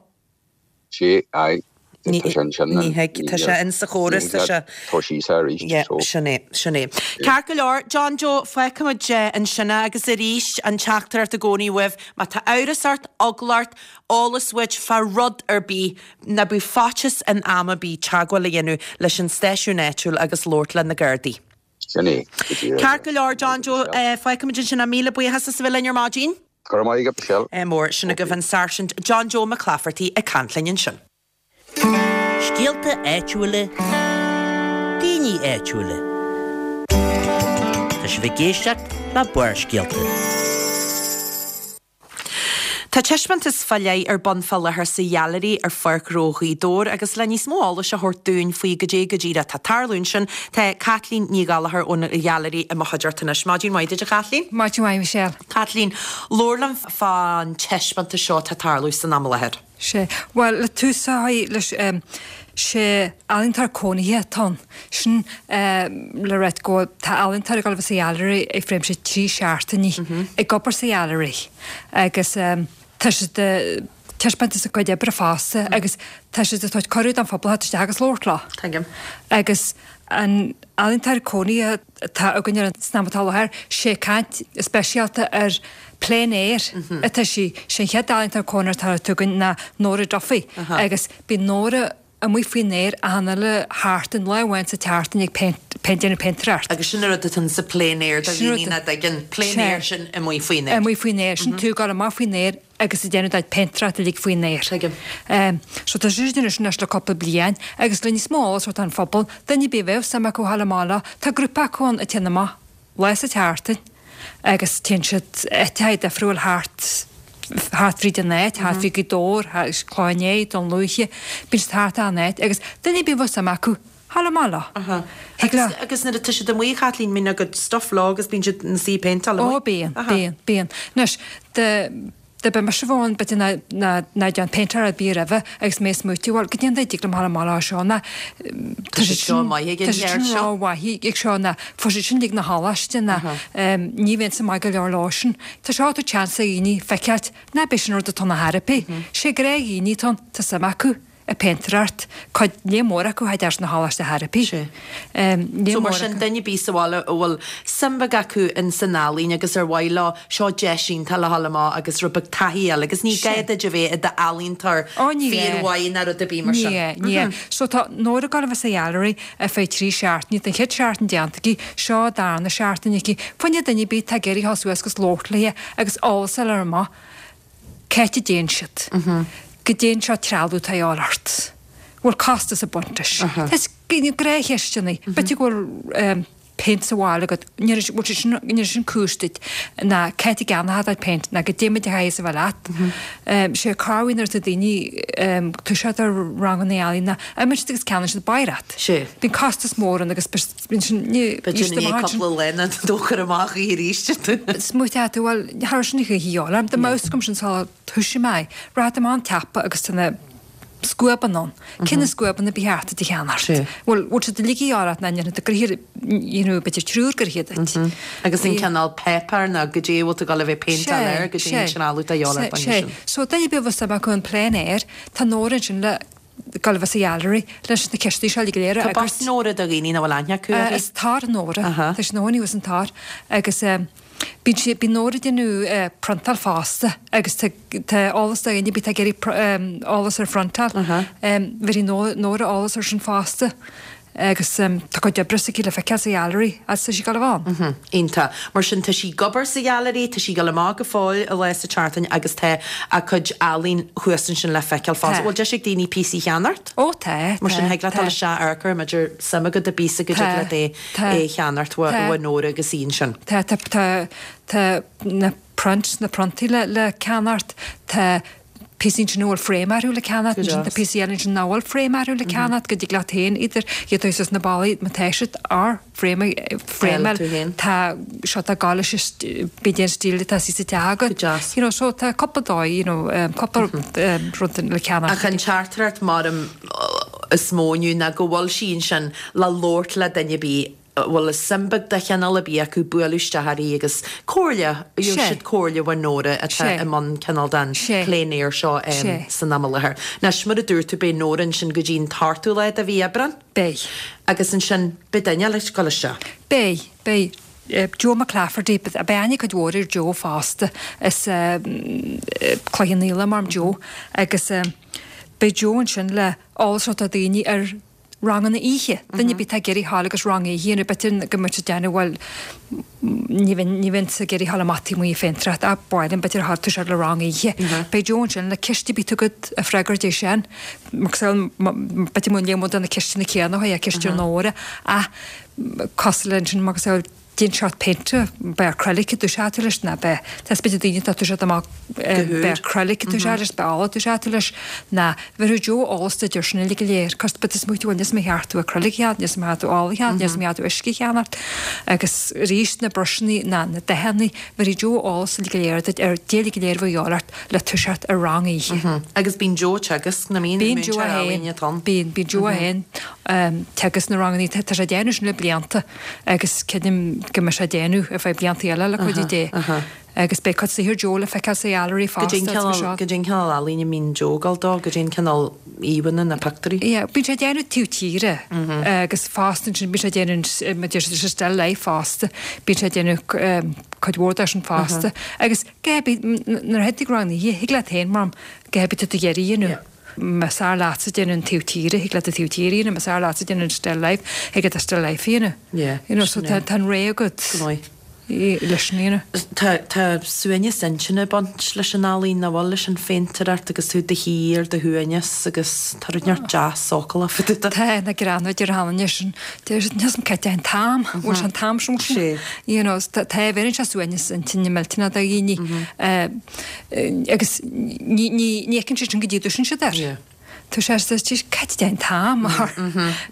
Sea, aye, tá sé ansin. Ní thig, tá sé in sa chóras, tá sé. Tá sí sa arís, Yeah, so. sin é, sin é. Ceart go leor, John Joe, fágfaimid ansin é agus arís, an teachtaireacht i gcónaí uaibh, má tá amhras ort, eagla ort, eolas uait fá rud ar bith, ná bíodh faitíos in am ar bith teagmháil a dhéanamh leis an stáisiún áitiúil agus labhairt le na Gardaí. Sin é, go díreach. Ceart go leor, John Joe, fágfaimid ansin é. Míle buíochas as a bheith linn ar maidin. Go raibh maith agat, Michelle. Mór, sin agaibh an Sáirsint John Joe Mac Laifeartaigh ag caint linn ansin. Scéalta áitiúla, daoine áitiúla. Tá sibh ag éisteacht le Barrscéalta. Tá taispeántas fá leith ar bun fá láthair sa Ghailearaí ar Pháirc Ghnó Ghaoth Dobhair agus le níos mó eolais a thabhairt dúinn faoi goidé go díreach atá ag tarlú ansin, tá Caitlín Ní Ghallchóir ón Ghailearaí i mo chuideachta anois. Maidin mhaith duit a Chaitlín. Maidin mhaith Michelle. Caitlín, labhair liom fán taispeántas seo atá ag tarlú san am i láthair. Sé, bhuel, le tús a chur leis, sé ealaíontóir cónaithe atá ann. Sin le ráit go bhfuil, tá ealaíontóir ag dul a bheith sa ghailearaí i réimse 3 seachtainí ag obair sa ghailearaí agus tá siad ag taispeántas a gcuid oibre fosta agus tá siad ag tabhairt cuireadh don phobal theacht isteach agus labhairt leo. Tuigim. Agus an ealaíontóir cónaithe atá againn ar an san am atá i láthair, sé caint speisialta ar plein air atá sí. Sé an chéad ealaíontóir cónaithe atá againn ná Nóra Duffy agus bíonn Nóra amuigh faoin aer achan uile sheachtain, lá amháin sa tseachtain ag péint, déanamh péintéireacht. Agus sin an rud atá sa plein air do dhaoine nach dtuigeann, plein air sin amuigh faoin aer. Amuigh faoin aer, sin tú ag dul amach faoin aer agus ag déanamh do phéintéireacht uilig faoin aer. Tuigim. So tá sise ag déanamh sin anois le cúpla bliain agus le níos mó eolas a thabhairt don phobal, duine ar bith a bheadh suim acu a ghabháil amach leo, tá grúpa acu ann a téann amach lá sa tseachtain agus téann siad áiteacha difriúil thart thart fríd an áit, thart fríd Gaoth Dobhair, Cloich Cheann Fhaola, Dún Lúiche, bíonn siad thart an áit agus duine ar bith a bheadh suim acu, ghabháil amach leo. Aha. Thig leo. Agus nuair atá siad amuigh, a Chaitlín, mbíonn a gcuid stuff leo agus bíonn siad ina suí ag péinteáil amuigh? Ó bíonn, bíonn, bíonn. Anois, dá dá mbeadh mise ann, b'fhéidir ná ná ná déan péintéir ar bith roimhe agus mé ag smaoitiú, bhuel, goidé an dóigh a dtig liom ghabháil amach leo seo ná tá siad seo maith ag an cheird seo. Ró-mhaith ag seo ná fuair siad sin uilig na choláiste ná ní bheinnse maith go leor leo sin. Tá seo ag tabhairt seans do dhaoine feiceáilt ná b'é sin rud atá ina theiripí. Sé gnáthdhaoine atá ann, tá suim acu. ag péintéireacht, cuid léar mór acu théid sna choláiste therapy. Sea. So mar sin, duine ar bith sa bhaile a bhfuil suim bheag acu in san ealaín agus ar mhaith leo, seo deis iontach le dhul amach agus rud beag taithí a fháil agus ní gá duit a bheith i d'ealaíontóir fíormhaith ná rud ar bith mar sin. Ní gá, ní gá. So tá Nóra ag gabháil a bheith sa ghailearaí ar feadh 3 seachtaine, tá an chéad seachtain déanta aici, seo an darna seachtain aici. Fá choinne duine ar bith atá ag iarraidh dhul suas agus labhairt léi agus eolas a fháil amach. Cá háit a dtéann siad? Goidé an sórt trealamh atá a dhíobháil ort. Bhfuil costas ag baint leis? Tá gnáthcheisteanna. B'fhéidir go bhfuil péint sa bhaile agat, ní bhfuil sé sin, ní sin cúis duit, ná cá háit a gceannófá do phéint, ná goidé mar a chaithfidh a bheith leat. Sé corruair nuair atá daoine toiseacht ar ranganna ealaíne, imíonn siad agus ceannaíonn siad báireacht. Bíonn costas mór ann agus bíonn sin, ní, B'fhéidir i ndiaidh cúpla lá ná dóchar amach í arís. Smaoiteoidh tú, bhuel, cha raibh sin a dhíobháil orm, dá mbeadh fhios agam sin sular thoisigh mé, rachaidh tú amach an tsiopa agus tá na scuabanna ann. Cé na scuabanna ba cheart duit a cheannacht? Bhuel, bhfuil siad uilig a dhíobháil ort ná ndéanfaidh tú gnoithe, you know, b'fhéidir triúr gnoithe duit. Agus an cineál páipéar ná goidé a bhfuil tú ag dul a bheith ag péinteáil air, goidé an trealamh atá a dhíobháil ort fá choinne sin. So, duine ar bith a bhfuil suim acu in plein air, tá Nóra ansin le gabháil a bheith sa ghailearaí leis na ceisteanna seo uilig go léir a Tá fhreagairt. Bus Nóra do dhaoine nach bhfuil aithne acu uirthi. Is tar Nóra. Tá sí ina cónaí thuas an tor agus bíonn sí, bíonn Nóra ag déanamh priontáil fosta agus tá, tá eolas do dhaoine ar bith atá ag iarraidh eolas ar phriontáil. Bhéarfaidh Nóra eolas ar sin fosta. Agus tá cuid oibre s'aici le feiceáil sa ghailearaí agus tá sí ag dul a bheith ann. Iontach. Mar sin, tá sí ag obair sa ghailearaí, tá sí ag dul amach go fóill lá sa tseachtain agus tá a cuid ealaín thuas ansin le feiceáil fosta. Bhfuil deis ag daoine píosaí a cheannacht? Ó tá, tá. Mar sin, thig leat dul isteach amharc air, má tá suim agat i bpíosa go dtig leat é a cheannacht ó Nóra agus í ansin. Tá, tá, tá, tá na prints, na priontaí le ceannacht, tá píosaí ansin a bhfuil frame orthu le ceannacht, ansin tá píosaí eile ansin nach bhfuil frame orthu le ceannacht, go dtig leat féin iad iad a úsáid sna ballaí má tá siad ar frame frame tá seo tá gá leis b'fhéidir an stíl atá sa teach agat. You know, so tá cúpla dóigh, you know, cúpla rud le ceannacht. Ach an teachtaireacht mar is mó inniu ná go bhfuil sí ansin le labhairt le duine ar bith a bhfuil suim beag de chineál ar bith acu bualadh isteach uirthi agus comhairle, gheobhaidh siad comhairle ó Nóra atá i mbun cineál den plein air seo san am i láthair. Anois, mar a dúirt tú, beidh Nóra ansin go dtí an t-ochtú lá de mhí Aibreán. Beidh. Agus ansin, beidh duine eile ag dul isteach. Beidh, beidh. Joe McClafferty, beidh aithne cuid mhór ar Joe fosta, as Cloich Cheann Fhaola, mar Joe, agus beidh Joe ansin le eolas a thabhairt do dhaoine ar ranganna oíche. Duine ar bith atá ag iarraidh a ghabháil agus rang oíche a dhéanamh, b'fhéidir go mbeadh siad ag déanamh, bhuel, ní bheinn, ní bheinnse ag iarraidh a ghabháil amach taobh amuigh ag péintéireacht ach ba mhaith liom b'fhéidir a ghabháil toiseacht le rang oíche. Beidh Joe ansin le ceist ar bith atá agat a fhreagairt é sin. Mar b'fhéidir go mbeidh de na ceisteanna céanna a ceist ar Nóra ach cosúil le ansin mar Cén seort péinte, ab é acrylic a dtoiseoidh tú leis, ná ab é, tá is b'fhéidir daoine atá ag toiseacht amach, ab é acrylic a dtoiseoidh leis, ab é ola a dtoiseoidh tú leis, ná bhéarfaidh Joe eolas duit ar sin uilig go léir, cos b'fhéidir smaoitiú bhuel níl 's agam ar cheart tú acrylic a cheannacht, níl 's agam ar cheart tú ola a cheannacht, níl 's agam ar cheart tú uisce a cheannacht, agus arís na bruiseanna ná na dathanna, bhéarfaidh Joe eolas uilig go léir duit ar goidé uilig go léir a bheadh a dhíobháil ort le toiseacht ar rang oíche. Agus bíonn Joe ag teagasc, nach mbíonn? Bíonn Joe é féin, bíonn, bíonn Joe é féin teagasc na ranganna, tá sé ag déanamh sin le blianta. agus creidim go mbeidh sé ag déanamh ar feadh blianta eile le cuidiú Dé. Agus beidh cuid saothair Joe le feiceáil sa ghailearaí fosta. Goidé an cineál ealaíne a mbíonn Joe ag dul dó, goidé an cineál íomhánna ná pictiúirí. Yeah, bíonn sé ag déanamh taobh tíre agus fosta ansin bíonn sé ag déanamh mar deir siad still life fosta, bíonn sé ag déanamh cuid mhór de sin fosta. Agus goidé ar bith, nuair a théann tú ag rang oíche, thig leat féin mar goidé ar bith atá tú ag iarraidh a dhéanamh. Más fearr leatsa déanamh an taobh tíre, thig leat an taobh tíre a dhéanamh, más fearr leatsa déanamh an still life, thig leat an still life a dhéanamh. Yeah, You know, so tá tá an rogha agat Go maith. leis sin a dhéanamh. Tá tá suaimhneas intinne ag baint leis an ealaín, nach bhfuil, leis an phéintéireacht agus tú i do shuí ar do shuaimhneas agus tá rud inteacht deas sócúlach fá dtaobh de. Tá, na greanna idir cheana anois an deir siad níl 's agam cá dtéann an t-am, bhfuil sé an t-am sin Sé. You know, tá tá bheireann sé suaimhneas intinne millteanach do dhaoine. Agus ní fheiceann siad sin go dtí a dtoisíonn siad air. Tá sé sa tír cá dtéann an t-am mar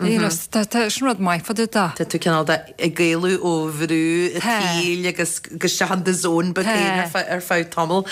you know tá tá sin rud maith fá dtaobh de. Tá tú cineál de ag éalú ó bhrú an tsaoil agus go isteach in do zone beag féin ar feadh ar feadh tamaill.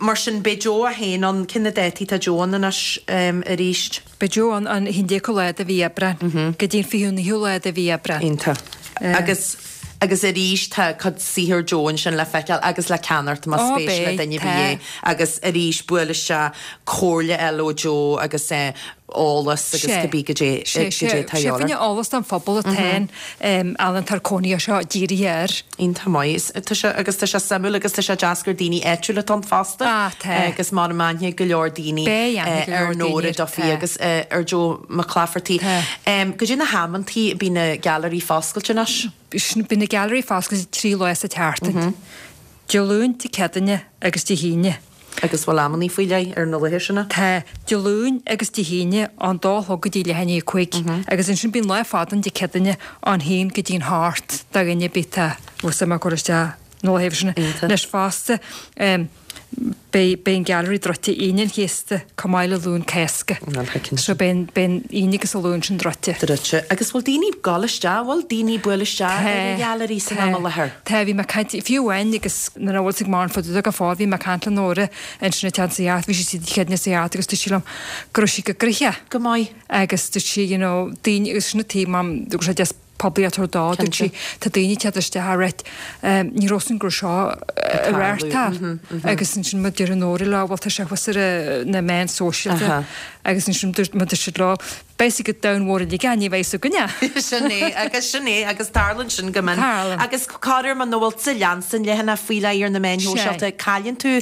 Mar sin beidh Joe é féin ann, cé na dátaí tá Joe ann anois arís? Beidh Joe ann an 11ú lá de mhí Aibreán go dtí an 29ú lá de mhí Aibreán. Iontach. Agus agus arís tá cuid saothar Joe ansin le feiceáil agus le ceannacht más Ó spéis le beidh, duine ar tá. bith é. Agus arís buail isteach, comhairle eile ó Joe agus eh. Eolas agus cibé goidé goidé atá Sé fá choinne eolas don phobal atá an ealaíontóir cónaithe seo dírithe air. Iontach maith. Tá sé agus tá sé suimiúil agus tá sé deas gur daoine áitiúla atá ann fosta. Ah tá. Agus m'anam aithne go leor daoine Beidh aithne go ar leor daoine Nóra air, Duffy tá. agus ar Joe Mac Claifertaigh. Tá. Goidé na hamantaí a bíonn na gailearaí foscailte anois? Bíonn na gailearaí foscailte 3 lá sa tseachtain. Dé Luain, Dé Céadaoine agus Dé hAoine. Agus bhfuil amannaí faoi leith ar na laethe sin? Tá, Dé Luain agus Dé hAoine ón dó a chlog go dtí leath i ndiaidh a 5 agus ansin bíonn lá fada ann Dé Céadaoine ón haon go dtí an hocht do dhuine ar bith atá bhfuil suim acu cur isteach na laethe sin. Anois fosta beidh beidh an Gallery druidte Aoine an Chéasta chomh maith le Luan Cásca. So beidh an beidh an Aoine agus an Luan sin druidte. Druidte. Agus bhfuil daoine ag gabháil isteach, bhfuil daoine ag bualadh isteach ar an Ghallery san am i láthair? Tá, bhí mé ag caint, fiú amháin agus nuair a bhfuil ag Maireann fud go fóill, bhí mé ag caint le Nóra ansin ag teacht sa gheart, bhí sí sa chéad sa gheart agus dúirt sí liom go raibh sí go gnoitheach. Go maith. Agus dúirt sí, you know, daoine, agus sin an taobh, mam, go raibh sé deas poiblíocht a thabhairt dó, dúirt sí, tá daoine ag teacht isteach a reit, ní raibh san go raibh seo ag reáchtáil. Agus ansin má deir Nóra leo, bhuel tá sé thuas ar na meáin sóisialta. Agus ansin má dúirt siad leo, Beidh sé go domhan mhór uilig ann, ní bheidh fhios againne. Sin é, agus sin é, agus tarlaíonn sin go mion. Tarlaíonn. Agus corruair muna bhfuil tú ag leanstan leathanach faoi leith ar na meáin shóisialta, cailleann tú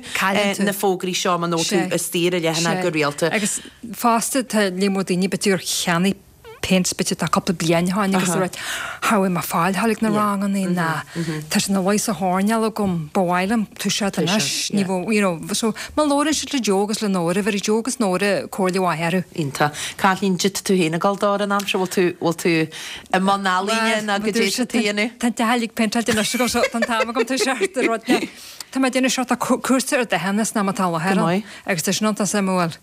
na fógraí seo muna bhfuil tú istigh ar an leathanach go rialta. Agus fosta tá léar mór daoine b'fhéidir gur cheannaigh péint b'fhéidir tá cúpla bliain ó shin agus a rá cha bhfuil mé ag fáil a ghabháil ag na ranganna ná tá sé ina luí sa choirnéal agam ba mhaith liom toiseacht anois ní bheadh you know so má labhrann siad le Joe agus le Nóra bheir Joe agus Nóra comhairle mhaith orthu. Iontach. Caitlín, caidé tá tú féin ag dul dó ar an am seo, bhfuil tú, bhfuil tú i mbun ealaíne nó goidé tá tú a dhéanamh? Tá an teach uilig péinteáilte anois agam so tá an t-am agam toiseacht ar rud le Tá mé ag déanamh sórt cúrsa ar dathanna san am atá i láthair Go maith. agus tá sin iontach suimiúil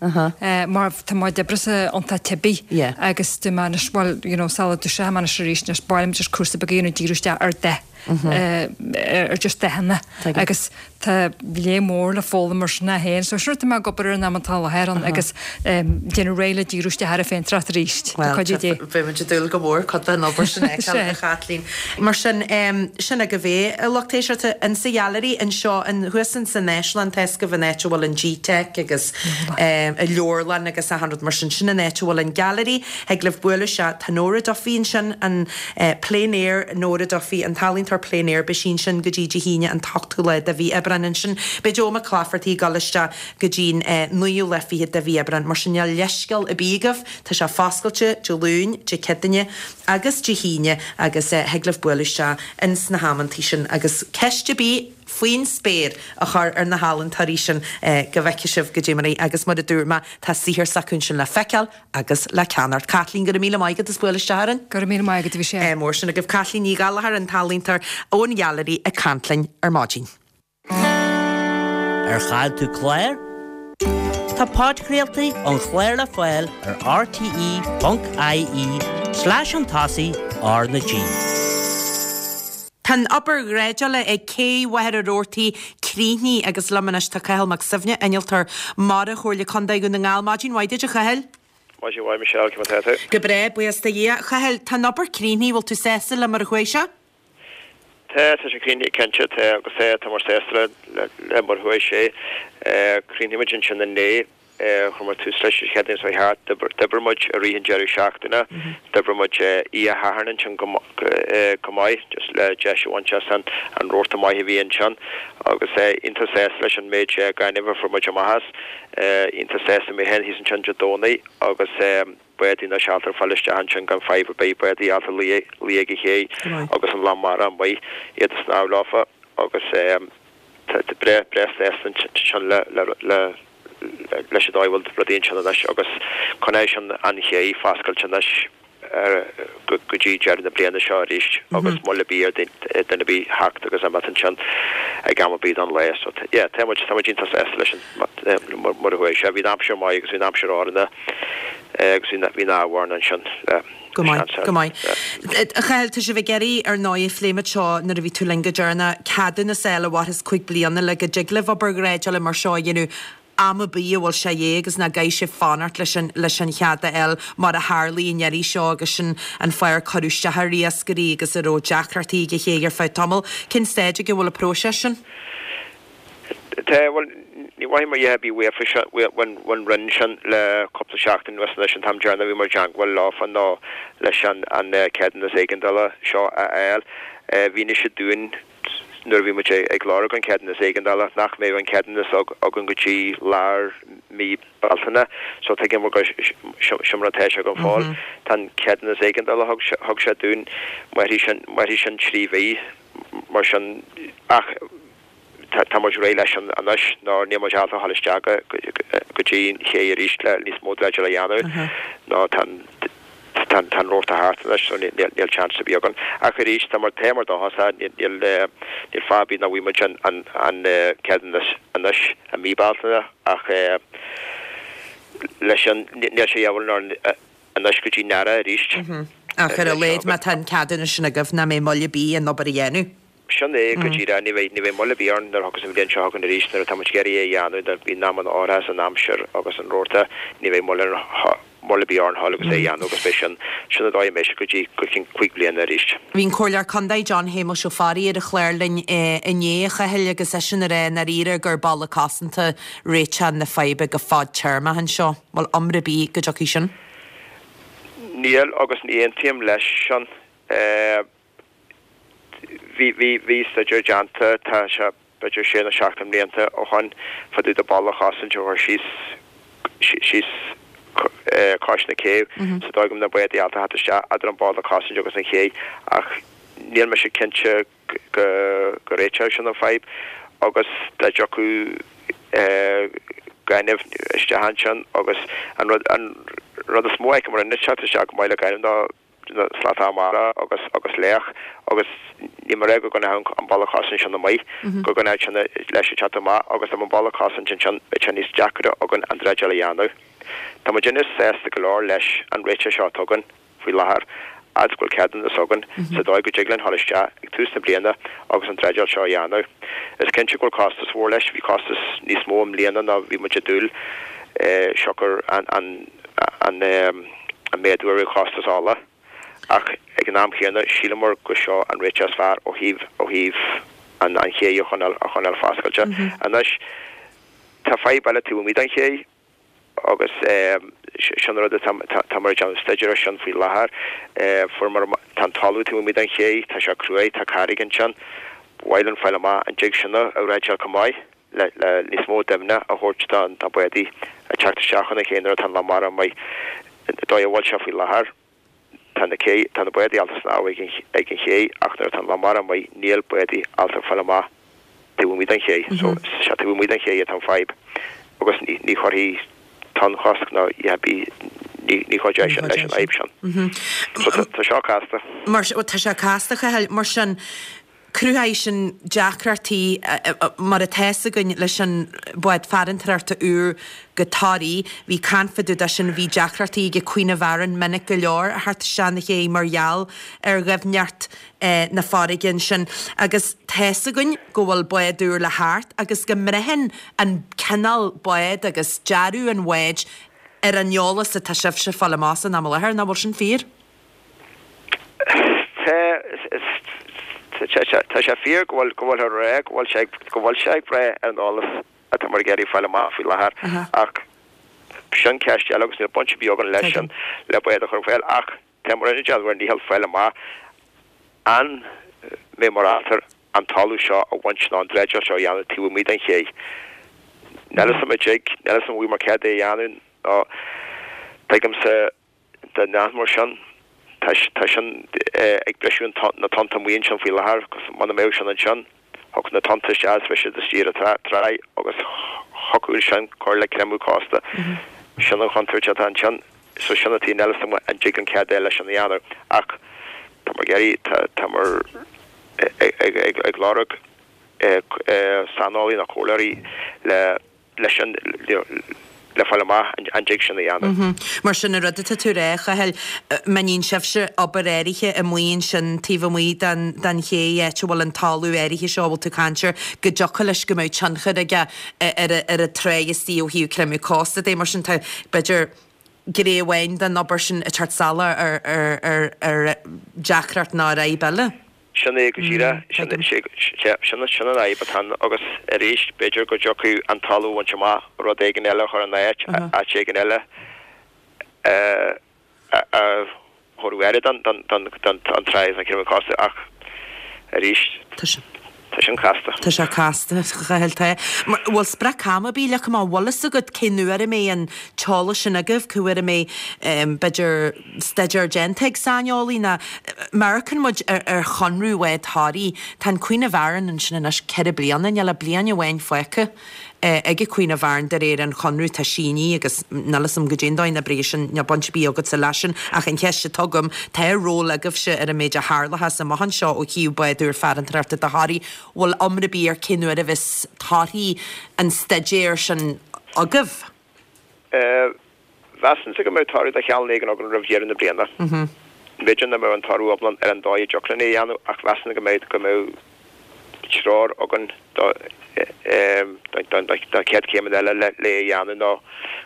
mar tá mo chuid oibre sa iontach teibí agus tá mé anois bhuel you know sula dtoiseoidh mé anois arís anois ba mhaith liom just cúrsa beag a dhéanamh díriú isteach ar dath ar just dathanna agus tá léar mór le foghlaim mar sin é féin so sin rud atá mé ag obair ar an am atá i láthair ann agus déanamh réidh le díriú isteach ar an phéintéireacht arís le cuidiú Dé. Beidh muid ag dúil go mór cuid den obair sin a fheiceáil a Chaitlín. Mar sin, sin agaibh é, a lucht éisteachta, in sa Gheallery anseo in thuas in san Áislann, tá fhios agaibh an áit a bhfuil an GTeic agus an leabharlann agus achan rud mar sin, sin an áit a bhfuil an Gallery. Thig libh bualadh isteach, tá Nóra Duffy ansin, an Plein Air, Nóra Duffy, an t-ealaíontóir Plein Air, beidh sí ansin go dtí Dé hAoine an t-ochtú lá de mhí Aibreáin. Ansin beidh Joe Mac Claifertaigh ag dul isteach go dtí'n naoú lá fichead de mhí Aibreáin. Mar sin níl leithscéal ar bith agaibh, tá sé foscailte Dé Luain, Dé Céadaoine agus Dé hAoine agus thig libh bualadh isteach ins na hamantaí sin agus ceist ar bith faoin spéir a chur ar na healaíontóirí sin go bhfeicfidh sibh goidé mar é agus mar a dúirt mé tá saothar s'acu ansin le feiceáil agus le ceannacht. Caitlín, go raibh míle maith agat as bualadh isteach orainn. Go raibh míle maith agat, bhí sé. mór sin agaibh. Caitlín Ní Ghallchóir, an t-ealaíontóir ón Gheallery ag caint linn ar maidin. Ar chaill tú clár? Tá podchraoltaí an chláir le fáil ar rte.ie slash chun tosaigh R na G. Tá an obair dhreideála ag Cé Mhachaire Rabhartaigh críochnaithe agus liom anois tá Cathal Mac Suibhne, Innealtóir Mara Chomhairle Contae Dhún na nGall. Maidin mhaith duit a Chathail. Maidin mhaith Michelle, cén mar atá tú? Go breá, buíochas do Dhia. A Chathail, tá an obair críochnaithe, bhfuil tú sásta le mar a chuaigh sé? Tá, tá sé críochnaithe cinnte, tá, agus tá, tá muid sásta le, le, le mar a chuaigh sé. Chríochnaigh muid ansin inné, chuir muid tús leis an Chéadaoin seo thart, d'oibrigh muid i rith an deireadh seachtaine, d'oibrigh muid oíche Shathairn ansin go, go maith, just le deis a bhaint as an, an rabharta maith a bhí ansin agus iontach sásta leis an méid gainimh a fuair muid amach as, iontach sásta mé féin thíos ansin Dé Domhnaigh agus. bádaí na seolta ag fáil isteach ansin gan fadhb ar bith, bádaí ábalta luí luí ag an ché agus an long mara amuigh, iad ag snámh leofa agus tá breá breá sásta ansin le le le leis an dóigh a bhfuil rudaí ansin anois agus coinneoidh sin an ché foscailte anois go go dtí deireadh na bliana seo arís agus moill ar bith ar duine ar bith theacht agus imeacht ansin ag am ar bith den lá. So yeah tá muid tá muid iontach sásta leis an mar a chuaigh sé. Bhí an aimsir maith agus bhí an aimsir áranna agus bhí bhí an ádh orainn ansin le Go maith, go maith. A Chathail, tá sibh ag iarraidh, ar ndóigh, phléigh muid seo nuair a bhí tú linn go deireanach, ceadúnas a fháil a mhairfeas 5 bliana le go dtig libh obair dhreideála mar seo a dhéanamh am ar bith a bhfuil sé de dhíth agus nach gcaithfidh sibh fanacht leis an leis an chead a fháil mar a tharlaigh an iarraidh seo agus sin an fáth ar cuireadh isteach ar iascairí agus a raibh deacrachtaí ag an chéidh ar feadh tamaill. Cén staid ag a bhfuil an próiseas sin? Tá, bhuel, ní mhothaíomar a dhath ar bith uafa ón Roinn sin le cúpla seachtain anuas anois, an t-am deireanach a bhí muid i dteangmháil leofa ná leis an ceadúnas éigeandála seo a fháil. Mhínigh siad dúinn nuair a bhí muid ag lorg an ceadúnas éigeandála nach mbeadh an ceadúnas againn go dtí lár mí Bealtaine so tuigim gur sin mar atá sé go fóill. Tá an ceadúnas éigeandála a thug sé dúinn, mairfidh sin 3 mhí mar sin ach tá muid réidh leis sin anois nó níl muid ábalta a dhul isteach go dtí an ché arís le níos mó dreideáil a dhéanamh nó tá an Tá an rabharta thart anois so níl chance ar bith againn. Ach arís, tá mar tá mar dóchasach, níl fáth ar bith nach bhfaighidh muid an ceadúnas anois i mí Bealtaine ach leis an, níl sé de dhíobháil orainn anois go dtí an earrach arís. Ach ar a laghad má tá an ceadúnas sin agaibh nach mbeidh moill ar bith an obair a dhéanamh. Sin é go díreach. Ní bheidh, ní bheidh moill ar bith orainn nuair a thiocfas an bhliain seo chugainn arís, nuair atá muid ag iarraidh é a dhéanamh, nuair a bhíonn amanna áirithe san aimsir agus an rabharta, ní bheidh moill ar, moill ar bith orainn dhul agus é a dhéanamh agus beidh sin, sin an dóigh a mbeidh sé go dtí, go ceann cuig bliana arís. Bhí an Comhairleoir Contae John Shéamuis Ó Fearraigh ar an chlár linn inné, a Chathail, agus eisean ag rá i ndáiríre gur balla cosanta réiteach na faidhbe go fadtéarmach anseo. Bhfuil iomrá ar bith go dtiocfaidh sin? Níl agus ní aontaím leis sin. Bhí, bhí, bhí staidéar déanta, tá sé b'fhéidir sé nó seacht de mblianta ó shoin, fá dtaobh de balla chosaint a chur síos, síos cois na céibhe, sa dóigh go mbeadh na bádaí ábalta theacht isteach eadar an balla cosaint agus an ché ach níl mise cinnte go, go réiteodh sin an fadhb agus dá dtiocfadh gaineamh isteach ansin agus an rud, an rud is mó a fheicim mar an teacht isteach go maith le gaineamh ná slata mara agus agus laoch agus níl mé ag rá go gcoinneodh an balla cosaint sin amuigh, go gcoinneodh sin leis ag teacht amach agus dá mbeadh an balla cosaint ansin bheadh sé níos deacaire againn an dreideáil a dhéanamh. Tá muidinne sásta go leor leis an réiteach seo atá againn faoi láthair fhad is go bhfuil ceadúnas againn sa dóigh go dtig linn dhul isteach ag tús na bliana agus an dreideáil seo a dhéanamh. Is cinnte go bhfuil costas mhór leis, bhí costas níos mó i mbliana ná bhí muid ag dúil siocair an an an an méadú ar chostas ola, ach ag an am chéanna shíleamar go seo an réiteach is fearr ó thaobh ó thaobh an an ché a choinneáil a choinneáil foscailte. Anois tá fadhb eile taobh amuigh den ché agus sin rud atá táimid ag déanamh staidéir air sin faoi láthair. Fuaireamar tá an talamh taobh amuigh den ché, tá sé cruaidh, tá carraig ansin. Ba mhaith linn fáil amach an dtig sin a dhreideáil chomh maith. le níos mó doimhne a thabhairt do na bádaí ag teacht isteach chun an ché nuair atá an loch mara amuigh. An dóigh a bhfuil sé faoi láthair, tá na cé, tá na bádaí ábalta snámh ag an ag an ché ach nuair atá an loch mara amuigh níl bádaí ábalta fáil amach taobh amuigh den ché. So, is é taobh amuigh den ché atá an fadhb agus ní ní chuirfidh tonnchosc ná a dhath ar bith ní ní chuideoidh sin leis an fhadhb sin. So tá tá seo casta. Mar tá sé casta, a Chathail, mar sin Cruthaíonn sin deacrachtaí mar atá fhios againn leis an bád farantóireachta úr go Toraigh. Bhí caint fá dtaobh de sin, bhí deacrachtaí ag Queen of Aran minic go leor a theacht isteach na chéidh mar gheall ar dhoimhneacht na farraige ansin. Agus tá fhios againn go bhfuil bád úr le theacht agus go mbraitheann an cineál bád agus dearadh an bháid ar an eolas atá sibhse ag fáil amach san am i láthair, nach bhfuil sin fíor? Tá sé fíor go bhfuil go bhfuil rá go bhfuil sé go bhfuil sé ag brath ar an eolas atá muid ag iarraidh fáil amach faoi láthair ach sin ceist eile agus níl baint ar bith againn leis sin le bád a chur ar fáil ach tá muid ag déanamh ár ndícheall fáil amach an mbeidh muid ábalta an talamh seo a bhaint nó an dreideáil seo a dhéanamh taobh amuigh den ché. Níl fhios agam an dtig, níl fhios agam an bhfaighidh muid cead é a dhéanamh nó tuigimse Dá ndéanfadh sin, tá sin ag briseadh na tonnta amuigh ansin faoi láthair agus muna mbeadh sin ansin, thiocfadh na tonnta isteach is bheadh siad istigh ar an tráigh agus thiocfadh sin cur le creimeadh cósta. Sin an chontúirt atá ansin. So sin an taobh, níl fhios agam an dtig an cead eile sin a dhéanamh ach tá muid ag iarraidh, tá muid ag lorg saineolaí nó comhairleoirí le leis an, le fáil amach an dtig sin a dhéanamh. Mar sin, an rud atá tú a rá, a Chathail, má níonn sibhse obair áirithe amuigh ansin taobh amuigh den, den ché, áit a bhfuil an talamh áirithe seo a bhfuil tú ag caint air, go dtiocfadh leis go mbeadh tionchar aige ar, ar an tráigh istigh ó thaobh creimeadh cósta de. Mar sin, tá, b'fhéidir, gné amháin den obair sin ag teacht salach ar, ar, ar, ar deacracht nó ar fhadhb eile. Sin é go díreach, sin an fhadhb atá ann agus arís b'fhéidir go dtiocfadh an talamh a bhaint amach, rud éigin eile a chur ina áit, áit éigin eile a thabharfadh aire don trá agus an chéad costas ach arís tá sin casta. Tá sé casta, a Chathail, tá. Bhfuil sprioc ama ar bith leagtha amach, bhfuil fhios agat cén uair a mbeidh an t-eolas sin agaibh, cá huair a mbeidh b'fhéidir staidéar déanta ag saineolaí nó má amharcann muid ar chonradh Bhád Thoraí, tá an Queen of Aran ansin anois 4 bliana, níl ach bliain amháin fágtha ag an Queen of Aran de réir an chonradh atá sínithe agus níl fhios agam goidé an dóigh a n-oibreoidh sin, níl baint ar bith agatsa leis sin ach an cheist atá agam, tá ról agaibhse ar an méid a tharlóchas amach anseo ó thaobh bád úr farantóireachta do Thoraigh, bhfuil iomrá ar bith ar cén uair a bheas torthaí an staidéir sin agaibh? Mheasfainnse go mbeadh toradh de chineál éigin againn roimh dheireadh na bliana. B'fhéidir nach mbeadh an toradh iomlán ar an dóigh a dtiocfadh linn é a dhéanamh ach mheasfainn go mbeadh go mbeadh treoir againn do don chéad chéimeanna eile le é a dhéanamh nó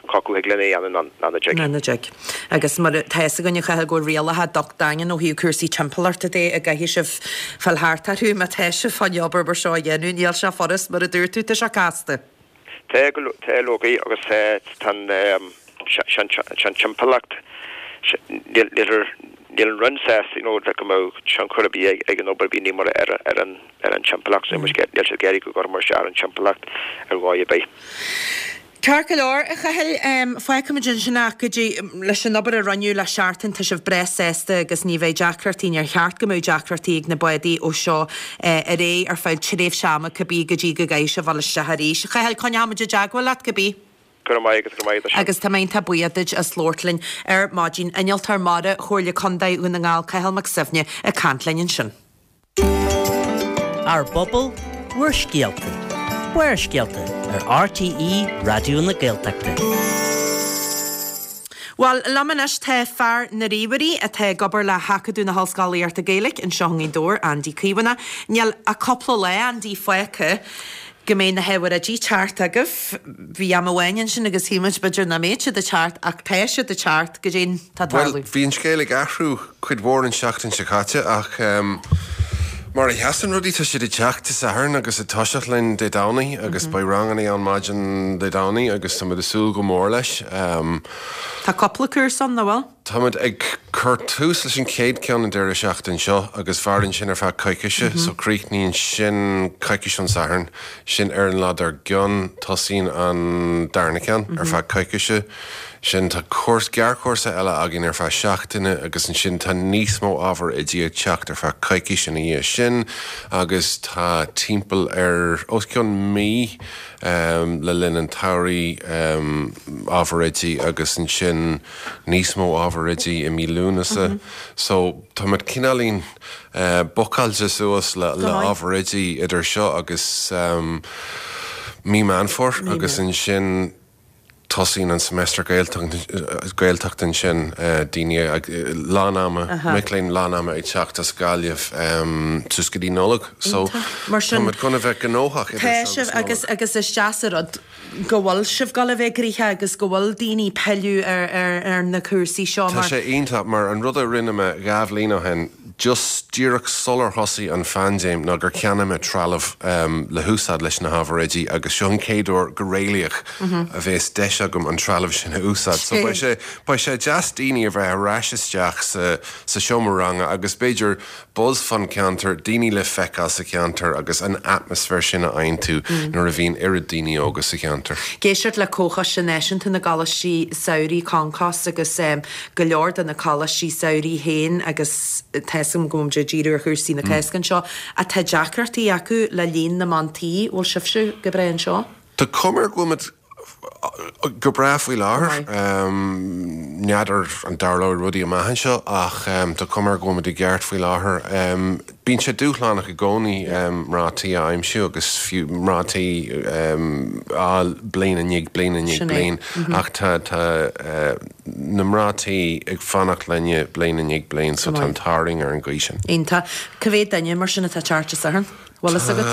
cá acu thig linn é a dhéanamh nó ná dtig. Ná ná dtig. Agus mar tá fhios againn a Chathail go bhfuil rialacha docht daingean ó thaobh cúrsaí timpeallachta de a gcaithfidh sibh fáil thart orthu má tá sibh chun obair mar seo a dhéanamh. Níl sé furast mar a dúirt tú, tá sé casta. Tá go leor agus tá an timpeallacht, níl an Roinn sásta you know le go mbeadh tionchar ar bith ag an obair a bhí ní mar ar an timpeallacht, níl siad ag iarraidh go gcuirfear isteach ar an timpeallacht ar dhóigh ar bith. Ceart go leor, a Chathail, fágfaimid ansin ach go dtí, leis an obair a rinneadh le seachtain, tá sibh breá sásta agus ní bheidh deacrachtaí, níor cheart go mbeadh deacrachtaí ag na bádaí ó seo ar aghaidh ar feadh tréimhse ama cibé go dtí go gcaithfidh sibh dul isteach arís. A Chathail, coinneoimid i dteagmháil leat cibé. Go raibh maith agat, go raibh maith agat as sin. Agus tá mé iontach buíoch duit as labhairt linn ar maidin. Innealtóir Mara Chomhairle Contae Dhún na nGall, Cathal Mac Suibhne ag caint linn ansin. Ár bpobal, bhur scéalta. Barrscéalta ar RTÉ Raidió na Gaeltachta. Bhuel, liom anois tá fear na ríomhairí atá ag obair le hAcadamh na hOllscolaíochta Gaeilge anseo i nGaoth Dobhair, Andy Caomhánach. Níl ach cúpla lá, Andy, fágtha go mbeidh na hábhair oidí ag teacht agaibh. Bhí am amháin ansin agus shíl muid b'fhéidir nach mbeadh siad ag teacht ach tá siad ag teacht. Goidé atá ag Bhuel, tarlú. bhí an scéal ag athrú cuid mhór an seachtain seo caite ach mar a sheasann rudaí tá siad ag teacht Dé Sathairn agus ag toiseacht linn Dé Domhnaigh agus beidh ranganna ann maidin Dé Domhnaigh agus táimid ag súil go mór leis. Tá cúpla cúrsa ann, nach bhfuil? Táimid ag cur tús leis an chéad ceann an deireadh seachtain seo agus mhaireann sin ar feadh coicise, so críochnaíonn sin coicís ón Satharn. Sin ar an lá dár gcionn tosaíonn an darna ceann ar feadh coicise. Sin tá cúrsa, gearrchúrsa eile againn ar feadh seachtaine agus ansin tá níos mó ábhar oidí ag teacht ar feadh coicís ina dhiaidh sin agus tá timpeall ar os cionn mí le linn an tsamhraidh ábhar oidí agus ansin níos mó ábhar oidí i mí Lúnasa. So táimid cineáilín bookáilte suas le ábhar oidí idir seo agus mí Meán Fómhair agus ansin tosaíonn an semester Gaeltacht ansin, daoine lán ama, mic léinn lán ama ag teacht as Gaillimh suas go dtí Nollaig. So táimid chun a bheith gnóthach idir seo agus Nollaig. Agus is deas an rud go bhfuil sibh ag dul a bheith gnoitheach agus go bhfuil daoine ag pilleadh ar na cúrsaí seo Tá mar. sé iontach mar an rud a rinne mé dhá bhliain ó shin, just díreach sular thosaigh an phaindéim ná gur cheannaigh mé trealamh le húsáid leis na hábhair oidí agus seo an chéad uair go réalaíoch a bhéas deis agam an trealamh sin a úsáid. So beidh sé, beidh sé deas daoine a bheith ar ais isteach sa, sa seomra ranga agus b'fhéidir buzz fán cheantar, daoine le feiceáil sa cheantar agus an atmaisféar sin a fhaigheann tú nuair a bhíonn oiread daoine óga sa cheantar. Ag éisteacht le Comhchoiste Náisiúnta na gColáistí Samhraidh, Concos, agus go leor de na coláistí samhraidh féin agus tá 'fhios agam go bhfuil muid ag díriú ar chúrsaí na Cásca anseo, ach tá deacrachtaí acu le líon na mban tí. Bhfuil sibhse go breá anseo? Tá cuma air go bhfuil muid go breá faoi láthair. N'fheadar an dtarlóidh rudaí amach anseo ach tá cuma air go bhfuil muid i gceart faoi láthair. Bíonn sé dúshlánach i gcónaí mná tí a aimsiú agus fiú mná tí a fháil bliain i ndiaidh bliain i ndiaidh bliain ach tá tá na mná tí ag fanacht linne bliain i ndiaidh bliain so tá an t-ádh orainn ar an gcaoi sin. Iontach. Cá mhéad duine mar sin atá ag teacht Dé Sathairn? Bhfuil fhios agat?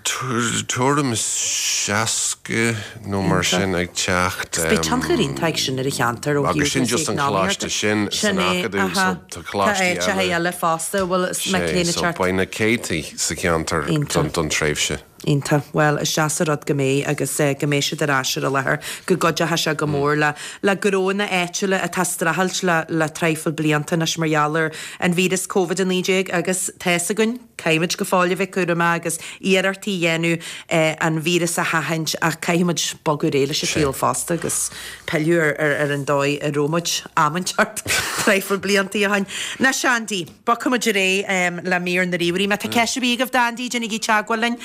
Tá tuairim is 60. 60 nó mar sin ag teacht. Agus beidh tionchar iontach ag sin ar an cheantar ó thaobh Agus sin just an coláiste sin san Acadamh so tá coláistí eile. Tá áiteacha eile fosta a bhfuil mic léinn ag Sé, so teacht. beidh na céadtaí sa cheantar don tréimhse. Iontach. Bhuel, is deas an rud go mbeidh agus go mbeidh siad ar ais ar an láthair, go gcuideochaidh sé go mór le le gnónna áitiúla atá ag streachailt le le traidhfil blianta anois mar gheall ar an víreas Covid-19 agus tá fhios againn, caithfimid go fóill a bheith cúramach agus iarrachtaí a dhéanamh an víreas a sheachaint ach caithfimid bogadh ar aghaidh leis an saol fosta agus pilleadh ar ar an dóigh a raibh muid am inteacht traidhfil blianta ó shin. Anois Andy. Bogfaimid ar aghaidh le mír na ríomhairí. Má tá ceist ar bith agaibh d'Andy, déanaigí teagmháil linn,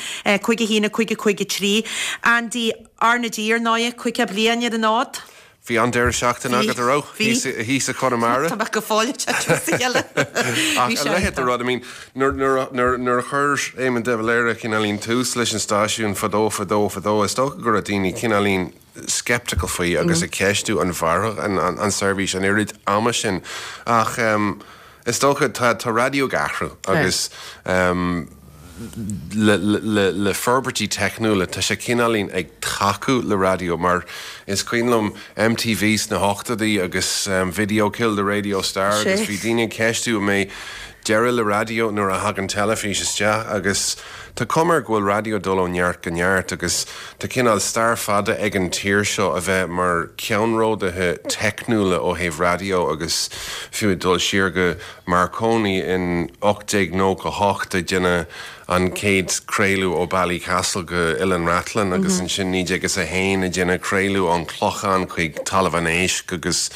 5 1 5 5 3. Andy, R na G ar ndóighe, 50 bliain ar an fhód. Bhí an-deireadh seachtaine agat, a raibh? Bhí. Thíos i Conamara? Tá mé go fóill ag titim as a chéile. Ach a leithéid de rud, I mean, nuair a chuir Éamon de Valera cineáilín tús leis an stáisiún fadó, fadó, fadó, is dócha go raibh daoine cineáilín sceptical faoi agus ag ceistiú an mhairfeadh an seirbhís an oiread ama sin. Ach is dócha, tá raidió ag athrú agus le forbairtí teicniúla tá sé cineáilín ag tacú le raidió mar is cuimhin liom MTV sna hochtóidí agus Video Killed the Radio Star agus bhí daoine ag ceistiú an mbeidh deireadh le raidió nuair a thagann teilifís isteach agus Tá cuma air go bhfuil raidió ag dul ó neart go neart agus tá cineál stair fada ag an tír seo a bheith mar ceannródaithe teicniúla ó thaobh raidió agus fiú ag dul siar go Marconi in 1898 ag déanamh an chéad craoladh ó Ballycastle go Oileán Rathlin agus ansin 1901 ag déanamh craoladh ón Clochán chuig Talamh an Éisc agus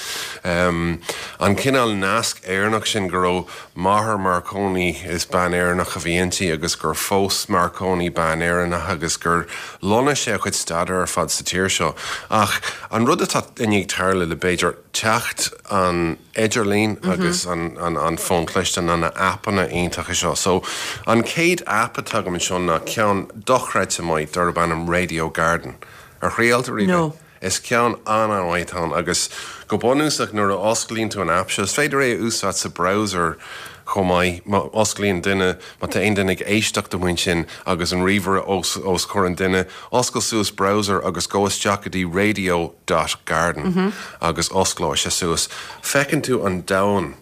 an cineál nasc Éireannach sin go raibh Máthair Marconi, is bean Éireannach a bhí inti agus gur phós Marconi bean Éireannach agus gur lonnaigh sé a chuid staidéir ar fad sa tír seo. Ach an rud atá i ndiaidh tarlú le b'fhéidir teacht an idirlín agus an fón cliste ná na aipeanna iontacha seo. So an chéad aip atá agam anseo ná ceann dochreidte maith darb ainm Radio Garden. Ar thriail tú riamh é? No. Is ceann an-an-mhaith atá ann agus go bunúsach nuair a osclaíonn tú an aip seo, is féidir é a úsáid sa browser chomh maith, má osclaíonn duine, má tá aon duine ag éisteacht amuigh ansin agus an ríomhaire os os comhair an duine, oscail suas browser agus gabh isteach go dtí radio dot garden agus osclóidh sé suas. Feiceann tú an domhan.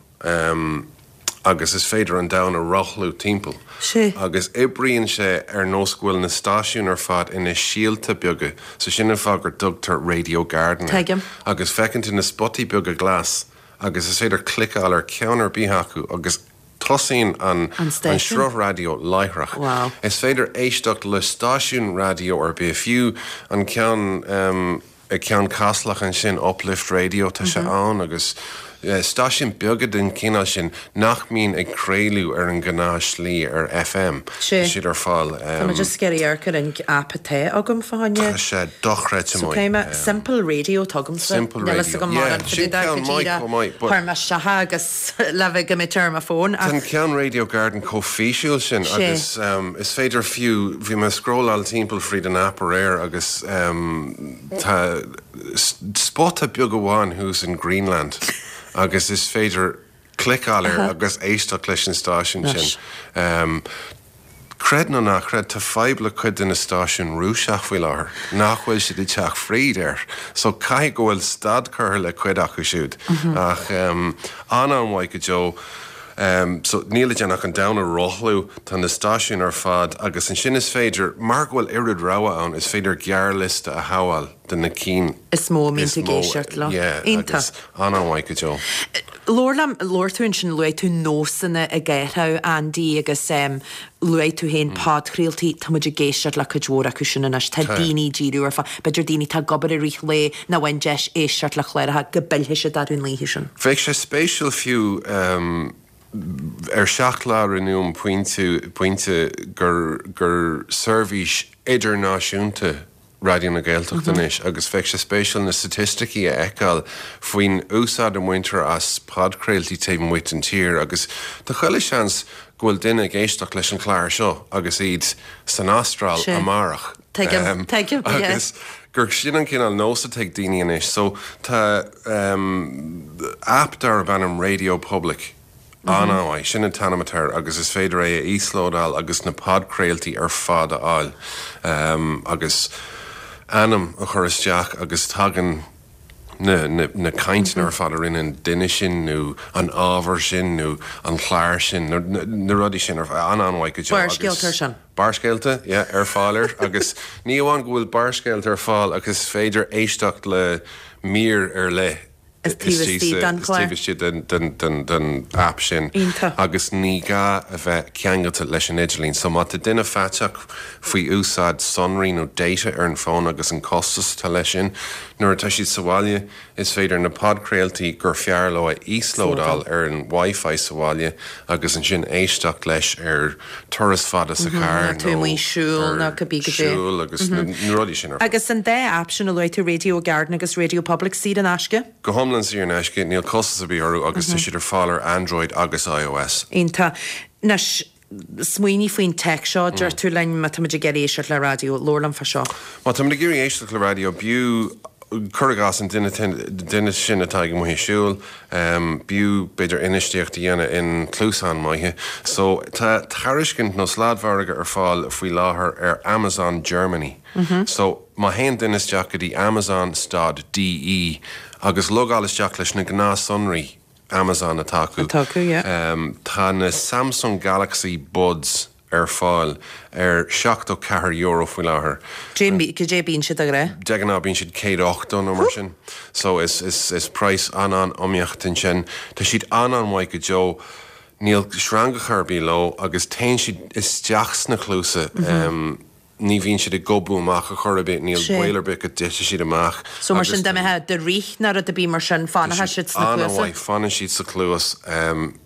Agus is féidir an domhan a rothlú timpeall. Sea. Agus oibríonn sé ar nós go bhfuil na stáisiúin ar fad ina síolta beaga, so sin an fáth gur dtugtar Radio Garden air. Tuigim. Agus feiceann tú na spotaí beaga glas agus is féidir cliceáil ar ceann ar bith acu agus tosaíonn an An stáisiún. sruth raidió láithreach. Wow. Is féidir éisteacht le stáisiún raidió ar bith, fiú an ceann. I gCeann Caslach ansin, Uplift Radio, tá sé ann agus stáisiúin beaga den chineál sin nach mbíonn ag craoladh ar an ghnáth slí ar FM, tá siad ar fáil. Tá mé just ag iarraidh amharc ar an aip atá agam fá choinne. Tá sé dochreidte So maith. cé mé, Simple Radio atá agamsa. Simple Níl fhios Radio, agam yeah, mórán fá sin dtaobh de ceann go maith díreach chomh maith but. Chuir mé isteach agus le bheith go mbeidh ar mo fón Tá ach. an ceann Radio Garden chomh físiúil sin Sé. agus is féidir fiú, bhí mé ag scrolláil timpeall fríd an aip aréir agus tá spota beag amháin thuas in Greenland agus is féidir cliceáil air agus éisteacht leis an stáisiún sin. Creid nó ná creid, tá fadhb le cuid de na stáisiúin Rúiseach faoi láthair, nach bhfuil siad ag teacht fríd air. So caithfidh go bhfuil stad curtha le cuid acu siúd. Ach an-an-mhaith go deo. So níl le déanamh ach an domhan a rothlú, tá na stáisiúin ar fad agus ansin is féidir, mar go bhfuil oiread rogha ann, is féidir gearrliosta a shabháil de na cinn is mó a mbíonn is tú ag mó, éisteacht leo. yeah, Iontach. agus an-an-mhaith go deo. Labhair liom, labhair tú ansin, luaigh tú nósanna ag athrú, Andy, agus luaigh tú féin podchraoltaí, tá muid ag éisteacht le cuid mhór acu sin anois, tá Tá. daoine ag díriú ar fad, b'fhéidir daoine atá ag obair i rith an lae nach bhfaigheann deis éisteacht le cláracha go bpillfidh siad orthu an oíche sin. Bheadh sé spéisiúil fiú ar Seacht Lá rinneadh an pointe, pointe gur, gur seirbhís idirnáisiúnta Raidió na Gaeltachta anois agus bheadh sé spéisiúil na staitisticí a fheiceáil faoin úsáid a mbaintear as podchraoltaí taobh amuigh den tír agus tá chuile seans go bhfuil duine ag éisteacht leis an chlár seo agus iad san Astráil amárach. Tuigim, tuigim, yeah. Agus gur sin an cineál nós atá ag daoine anois. So tá aip darb ainm Radio Public An-mhaith. Sin an t-ainm atá air agus is féidir é a íoslódáil agus na podchraoltaí ar fad a fháil. Agus ainm a chur isteach agus tagann na cainteanna ar fad a rinne an duine sin nó an ábhar sin nó an clár sin, na rudaí sin ar fad. An-an-mhaith go deo agus. Barrscéalta ar sin. Barrscéalta, yeah, ar fáil air agus ní amháin go bhfuil barrscéalta ar fáil ach is féidir éisteacht le mír ar leith taobh istigh den chlár. Taobh istigh den aip sin. Iontach. Agus ní gá a bheith ceangailte leis an idirlíon. So má tá duine faiteach faoi úsáid sonraí nó data ar an bhfón agus an costas atá leis sin, nuair atá siad sa bhaile is féidir na podchraoltaí gur fearr leo a íoslódáil ar an Wi-Fi sa bhaile agus ansin éisteacht leis ar turas fada sa charr nó ar siúl agus na rudaí sin ar fad. Agus an dá aip sin a luaigh tú, Radio Garden agus Radio Public, saor in aisce? Go hiomlán saor in aisce, níl costas ar bith orthu agus tá siad ar fáil ar Android agus iOS. Iontach. Anois, smaoinigh faoin teic seo, deir tú linn, má táimid ag iarraidh éisteacht le raidió, labhair liom fá seo. Má táimid ag iarraidh éisteacht le raidió, b'fhiú, cuir i gcás, an duine sin atá ag amuigh ag siúl, b'fhiú, b'fhéidir, infheistíocht a dhéanamh in cluasáin maithe. So, tá tairiscint nó sladmhargadh ar fáil faoi láthair ar Amazon Germany. So, má théann duine isteach go dtí Amazon stad DE agus logáil isteach leis na gnáthshonraí Amazon atá acu. Atá acu, yeah. Tá na Samsung Galaxy Buds ar fáil ar €74 faoi láthair. Cad é bíonn siad de ghnáth? De ghnáth bíonn siad 180 nó mar sin. So is is praghas an-an-iomaíoch ansin. Tá siad an-an-mhaith go deo. Níl sreangacha ar bith leo agus téann siad isteach sna cluasa. Ní bhíonn siad ag gobadh amach ar chor ar bith, níl baol ar bith go dtitfidh siad amach. So mar sin, dá mbeifeá do rith nó rud ar bith mar sin, fanfaidh siad sna cluasa? An-mhaith, fanann siad sa chluas,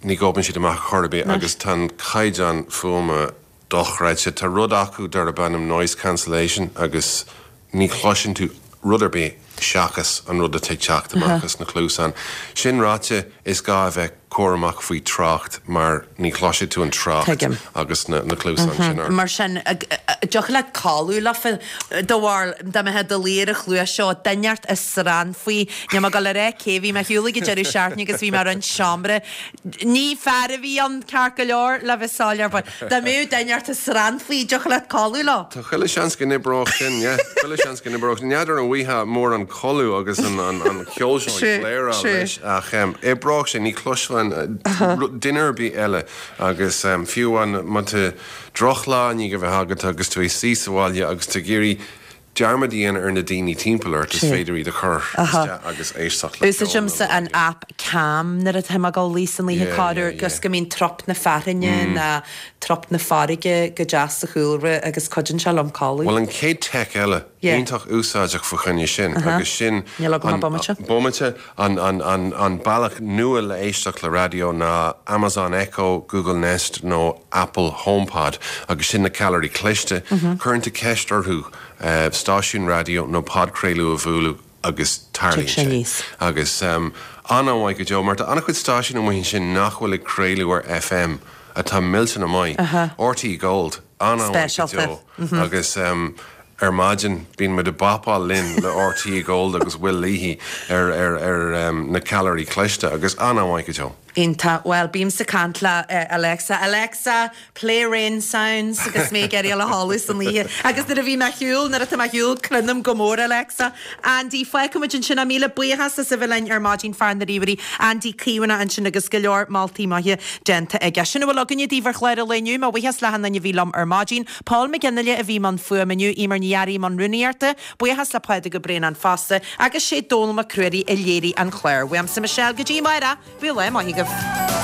ní ghobann siad amach ar chor ar bith agus tá an caighdeán fuaime dochreidte. Tá rud acu darb ainm noise cancellation agus ní chloiseann tú rud ar bith seachas an rud atá ag teacht amach as na cluasáin. Sin ráite, is gá a bheith cúramach faoi trácht mar ní chloisfidh tú an trácht Tuigim. agus na cluasáin sin ort. Mar sin, dtiocfadh leat codladh leofa, do bharúil, dá mbeifeá i do luí ar an chluas seo, duine inteacht ag srannfaí, níl mé ag dul a rá cé, bhí mé ar shiúl ag an deireadh seachtaine agus bhí mé i roinnt seomra, ní fear a bhí ann ceart go leor, le bheith soiléir, but dá mbeadh duine inteacht ag srannfaí, dtiocfadh leat codladh leo? Tá chuile seans go n-oibreodh sin, yeah. Chuile seans go n-oibreodh. N'fheadar an bhfaighfeá mórán codladh agus an ceol seo ag bléaráil leis ach oibreodh sé, ní chloisfeá duine ar bith eile agus fiú amháin má tá drochlá i ndiaidh a bheith agat agus tú ag suí sa bhaile agus tú ag iarraidh dearmad a dhéanamh ar na daoine timpeall ort, is féidir iad a chur isteach agus éisteacht le ceol. Úsáidimse an aip Calm nuair atá mé ag dul a luí san oíche corruair agus go mbíonn trup na fearthainne ná trup na farraige go deas sa chúlra agus cuidíonn sé liom codladh. Bhuel an chéad teic eile, iontach úsáideach fá choinne sin agus sin Níl agam ach bomaite. Bomaite. An bealach nua le éisteacht le raidió ná Amazon Echo, Google Nest nó Apple HomePod agus sin na ceallraí cliste. Cuireann tú ceist orthu stáisiún raidió nó podchraoladh a bhualadh agus tarlaíonn sé. Agus an-mhaith go deo mar tá an-chuid stáisiún amuigh ansin nach bhfuil ag craoladh ar FM atá millteanach maith. RTÉ Gold, an-mhaith go deo agus Ar maidin, bíonn muid ag bapáil linn le RTÉ Gold agus Will Leahy ar ar na ceallraí cliste agus an-mhaith go deo. Iontach. Bhuel, bímse ag caint le Alexa. Alexa, play rain sounds agus mé ag iarraidh dul a chodladh san oíche. Agus nuair a bhí mé ar shiúl, nuair atá mé ar shiúl, cluinim go mór Alexa. Andy, fágfaidh muid ansin é. Míle buíochas as a bheith linn ar maidin, fear na ríomhairí, Andy Caomhánach ansin agus go leor moltaí maithe déanta aige. Sin a bhfuil againne daoibh ar chlár an lae inniu. Mo bhuíochas le hachan duine a bhí liom ar maidin. Paul McGinley a bhí i mbun fuaime inniu, Eimear Ní Fhearraigh i mbun rúnaíochta, buíochas le Pádraig Ó Braonáin fosta, agus sé Dónall Mac Ruairí a léirigh an clár. Uaimse Michelle go dtí amárach, bíodh lá maith agaibh.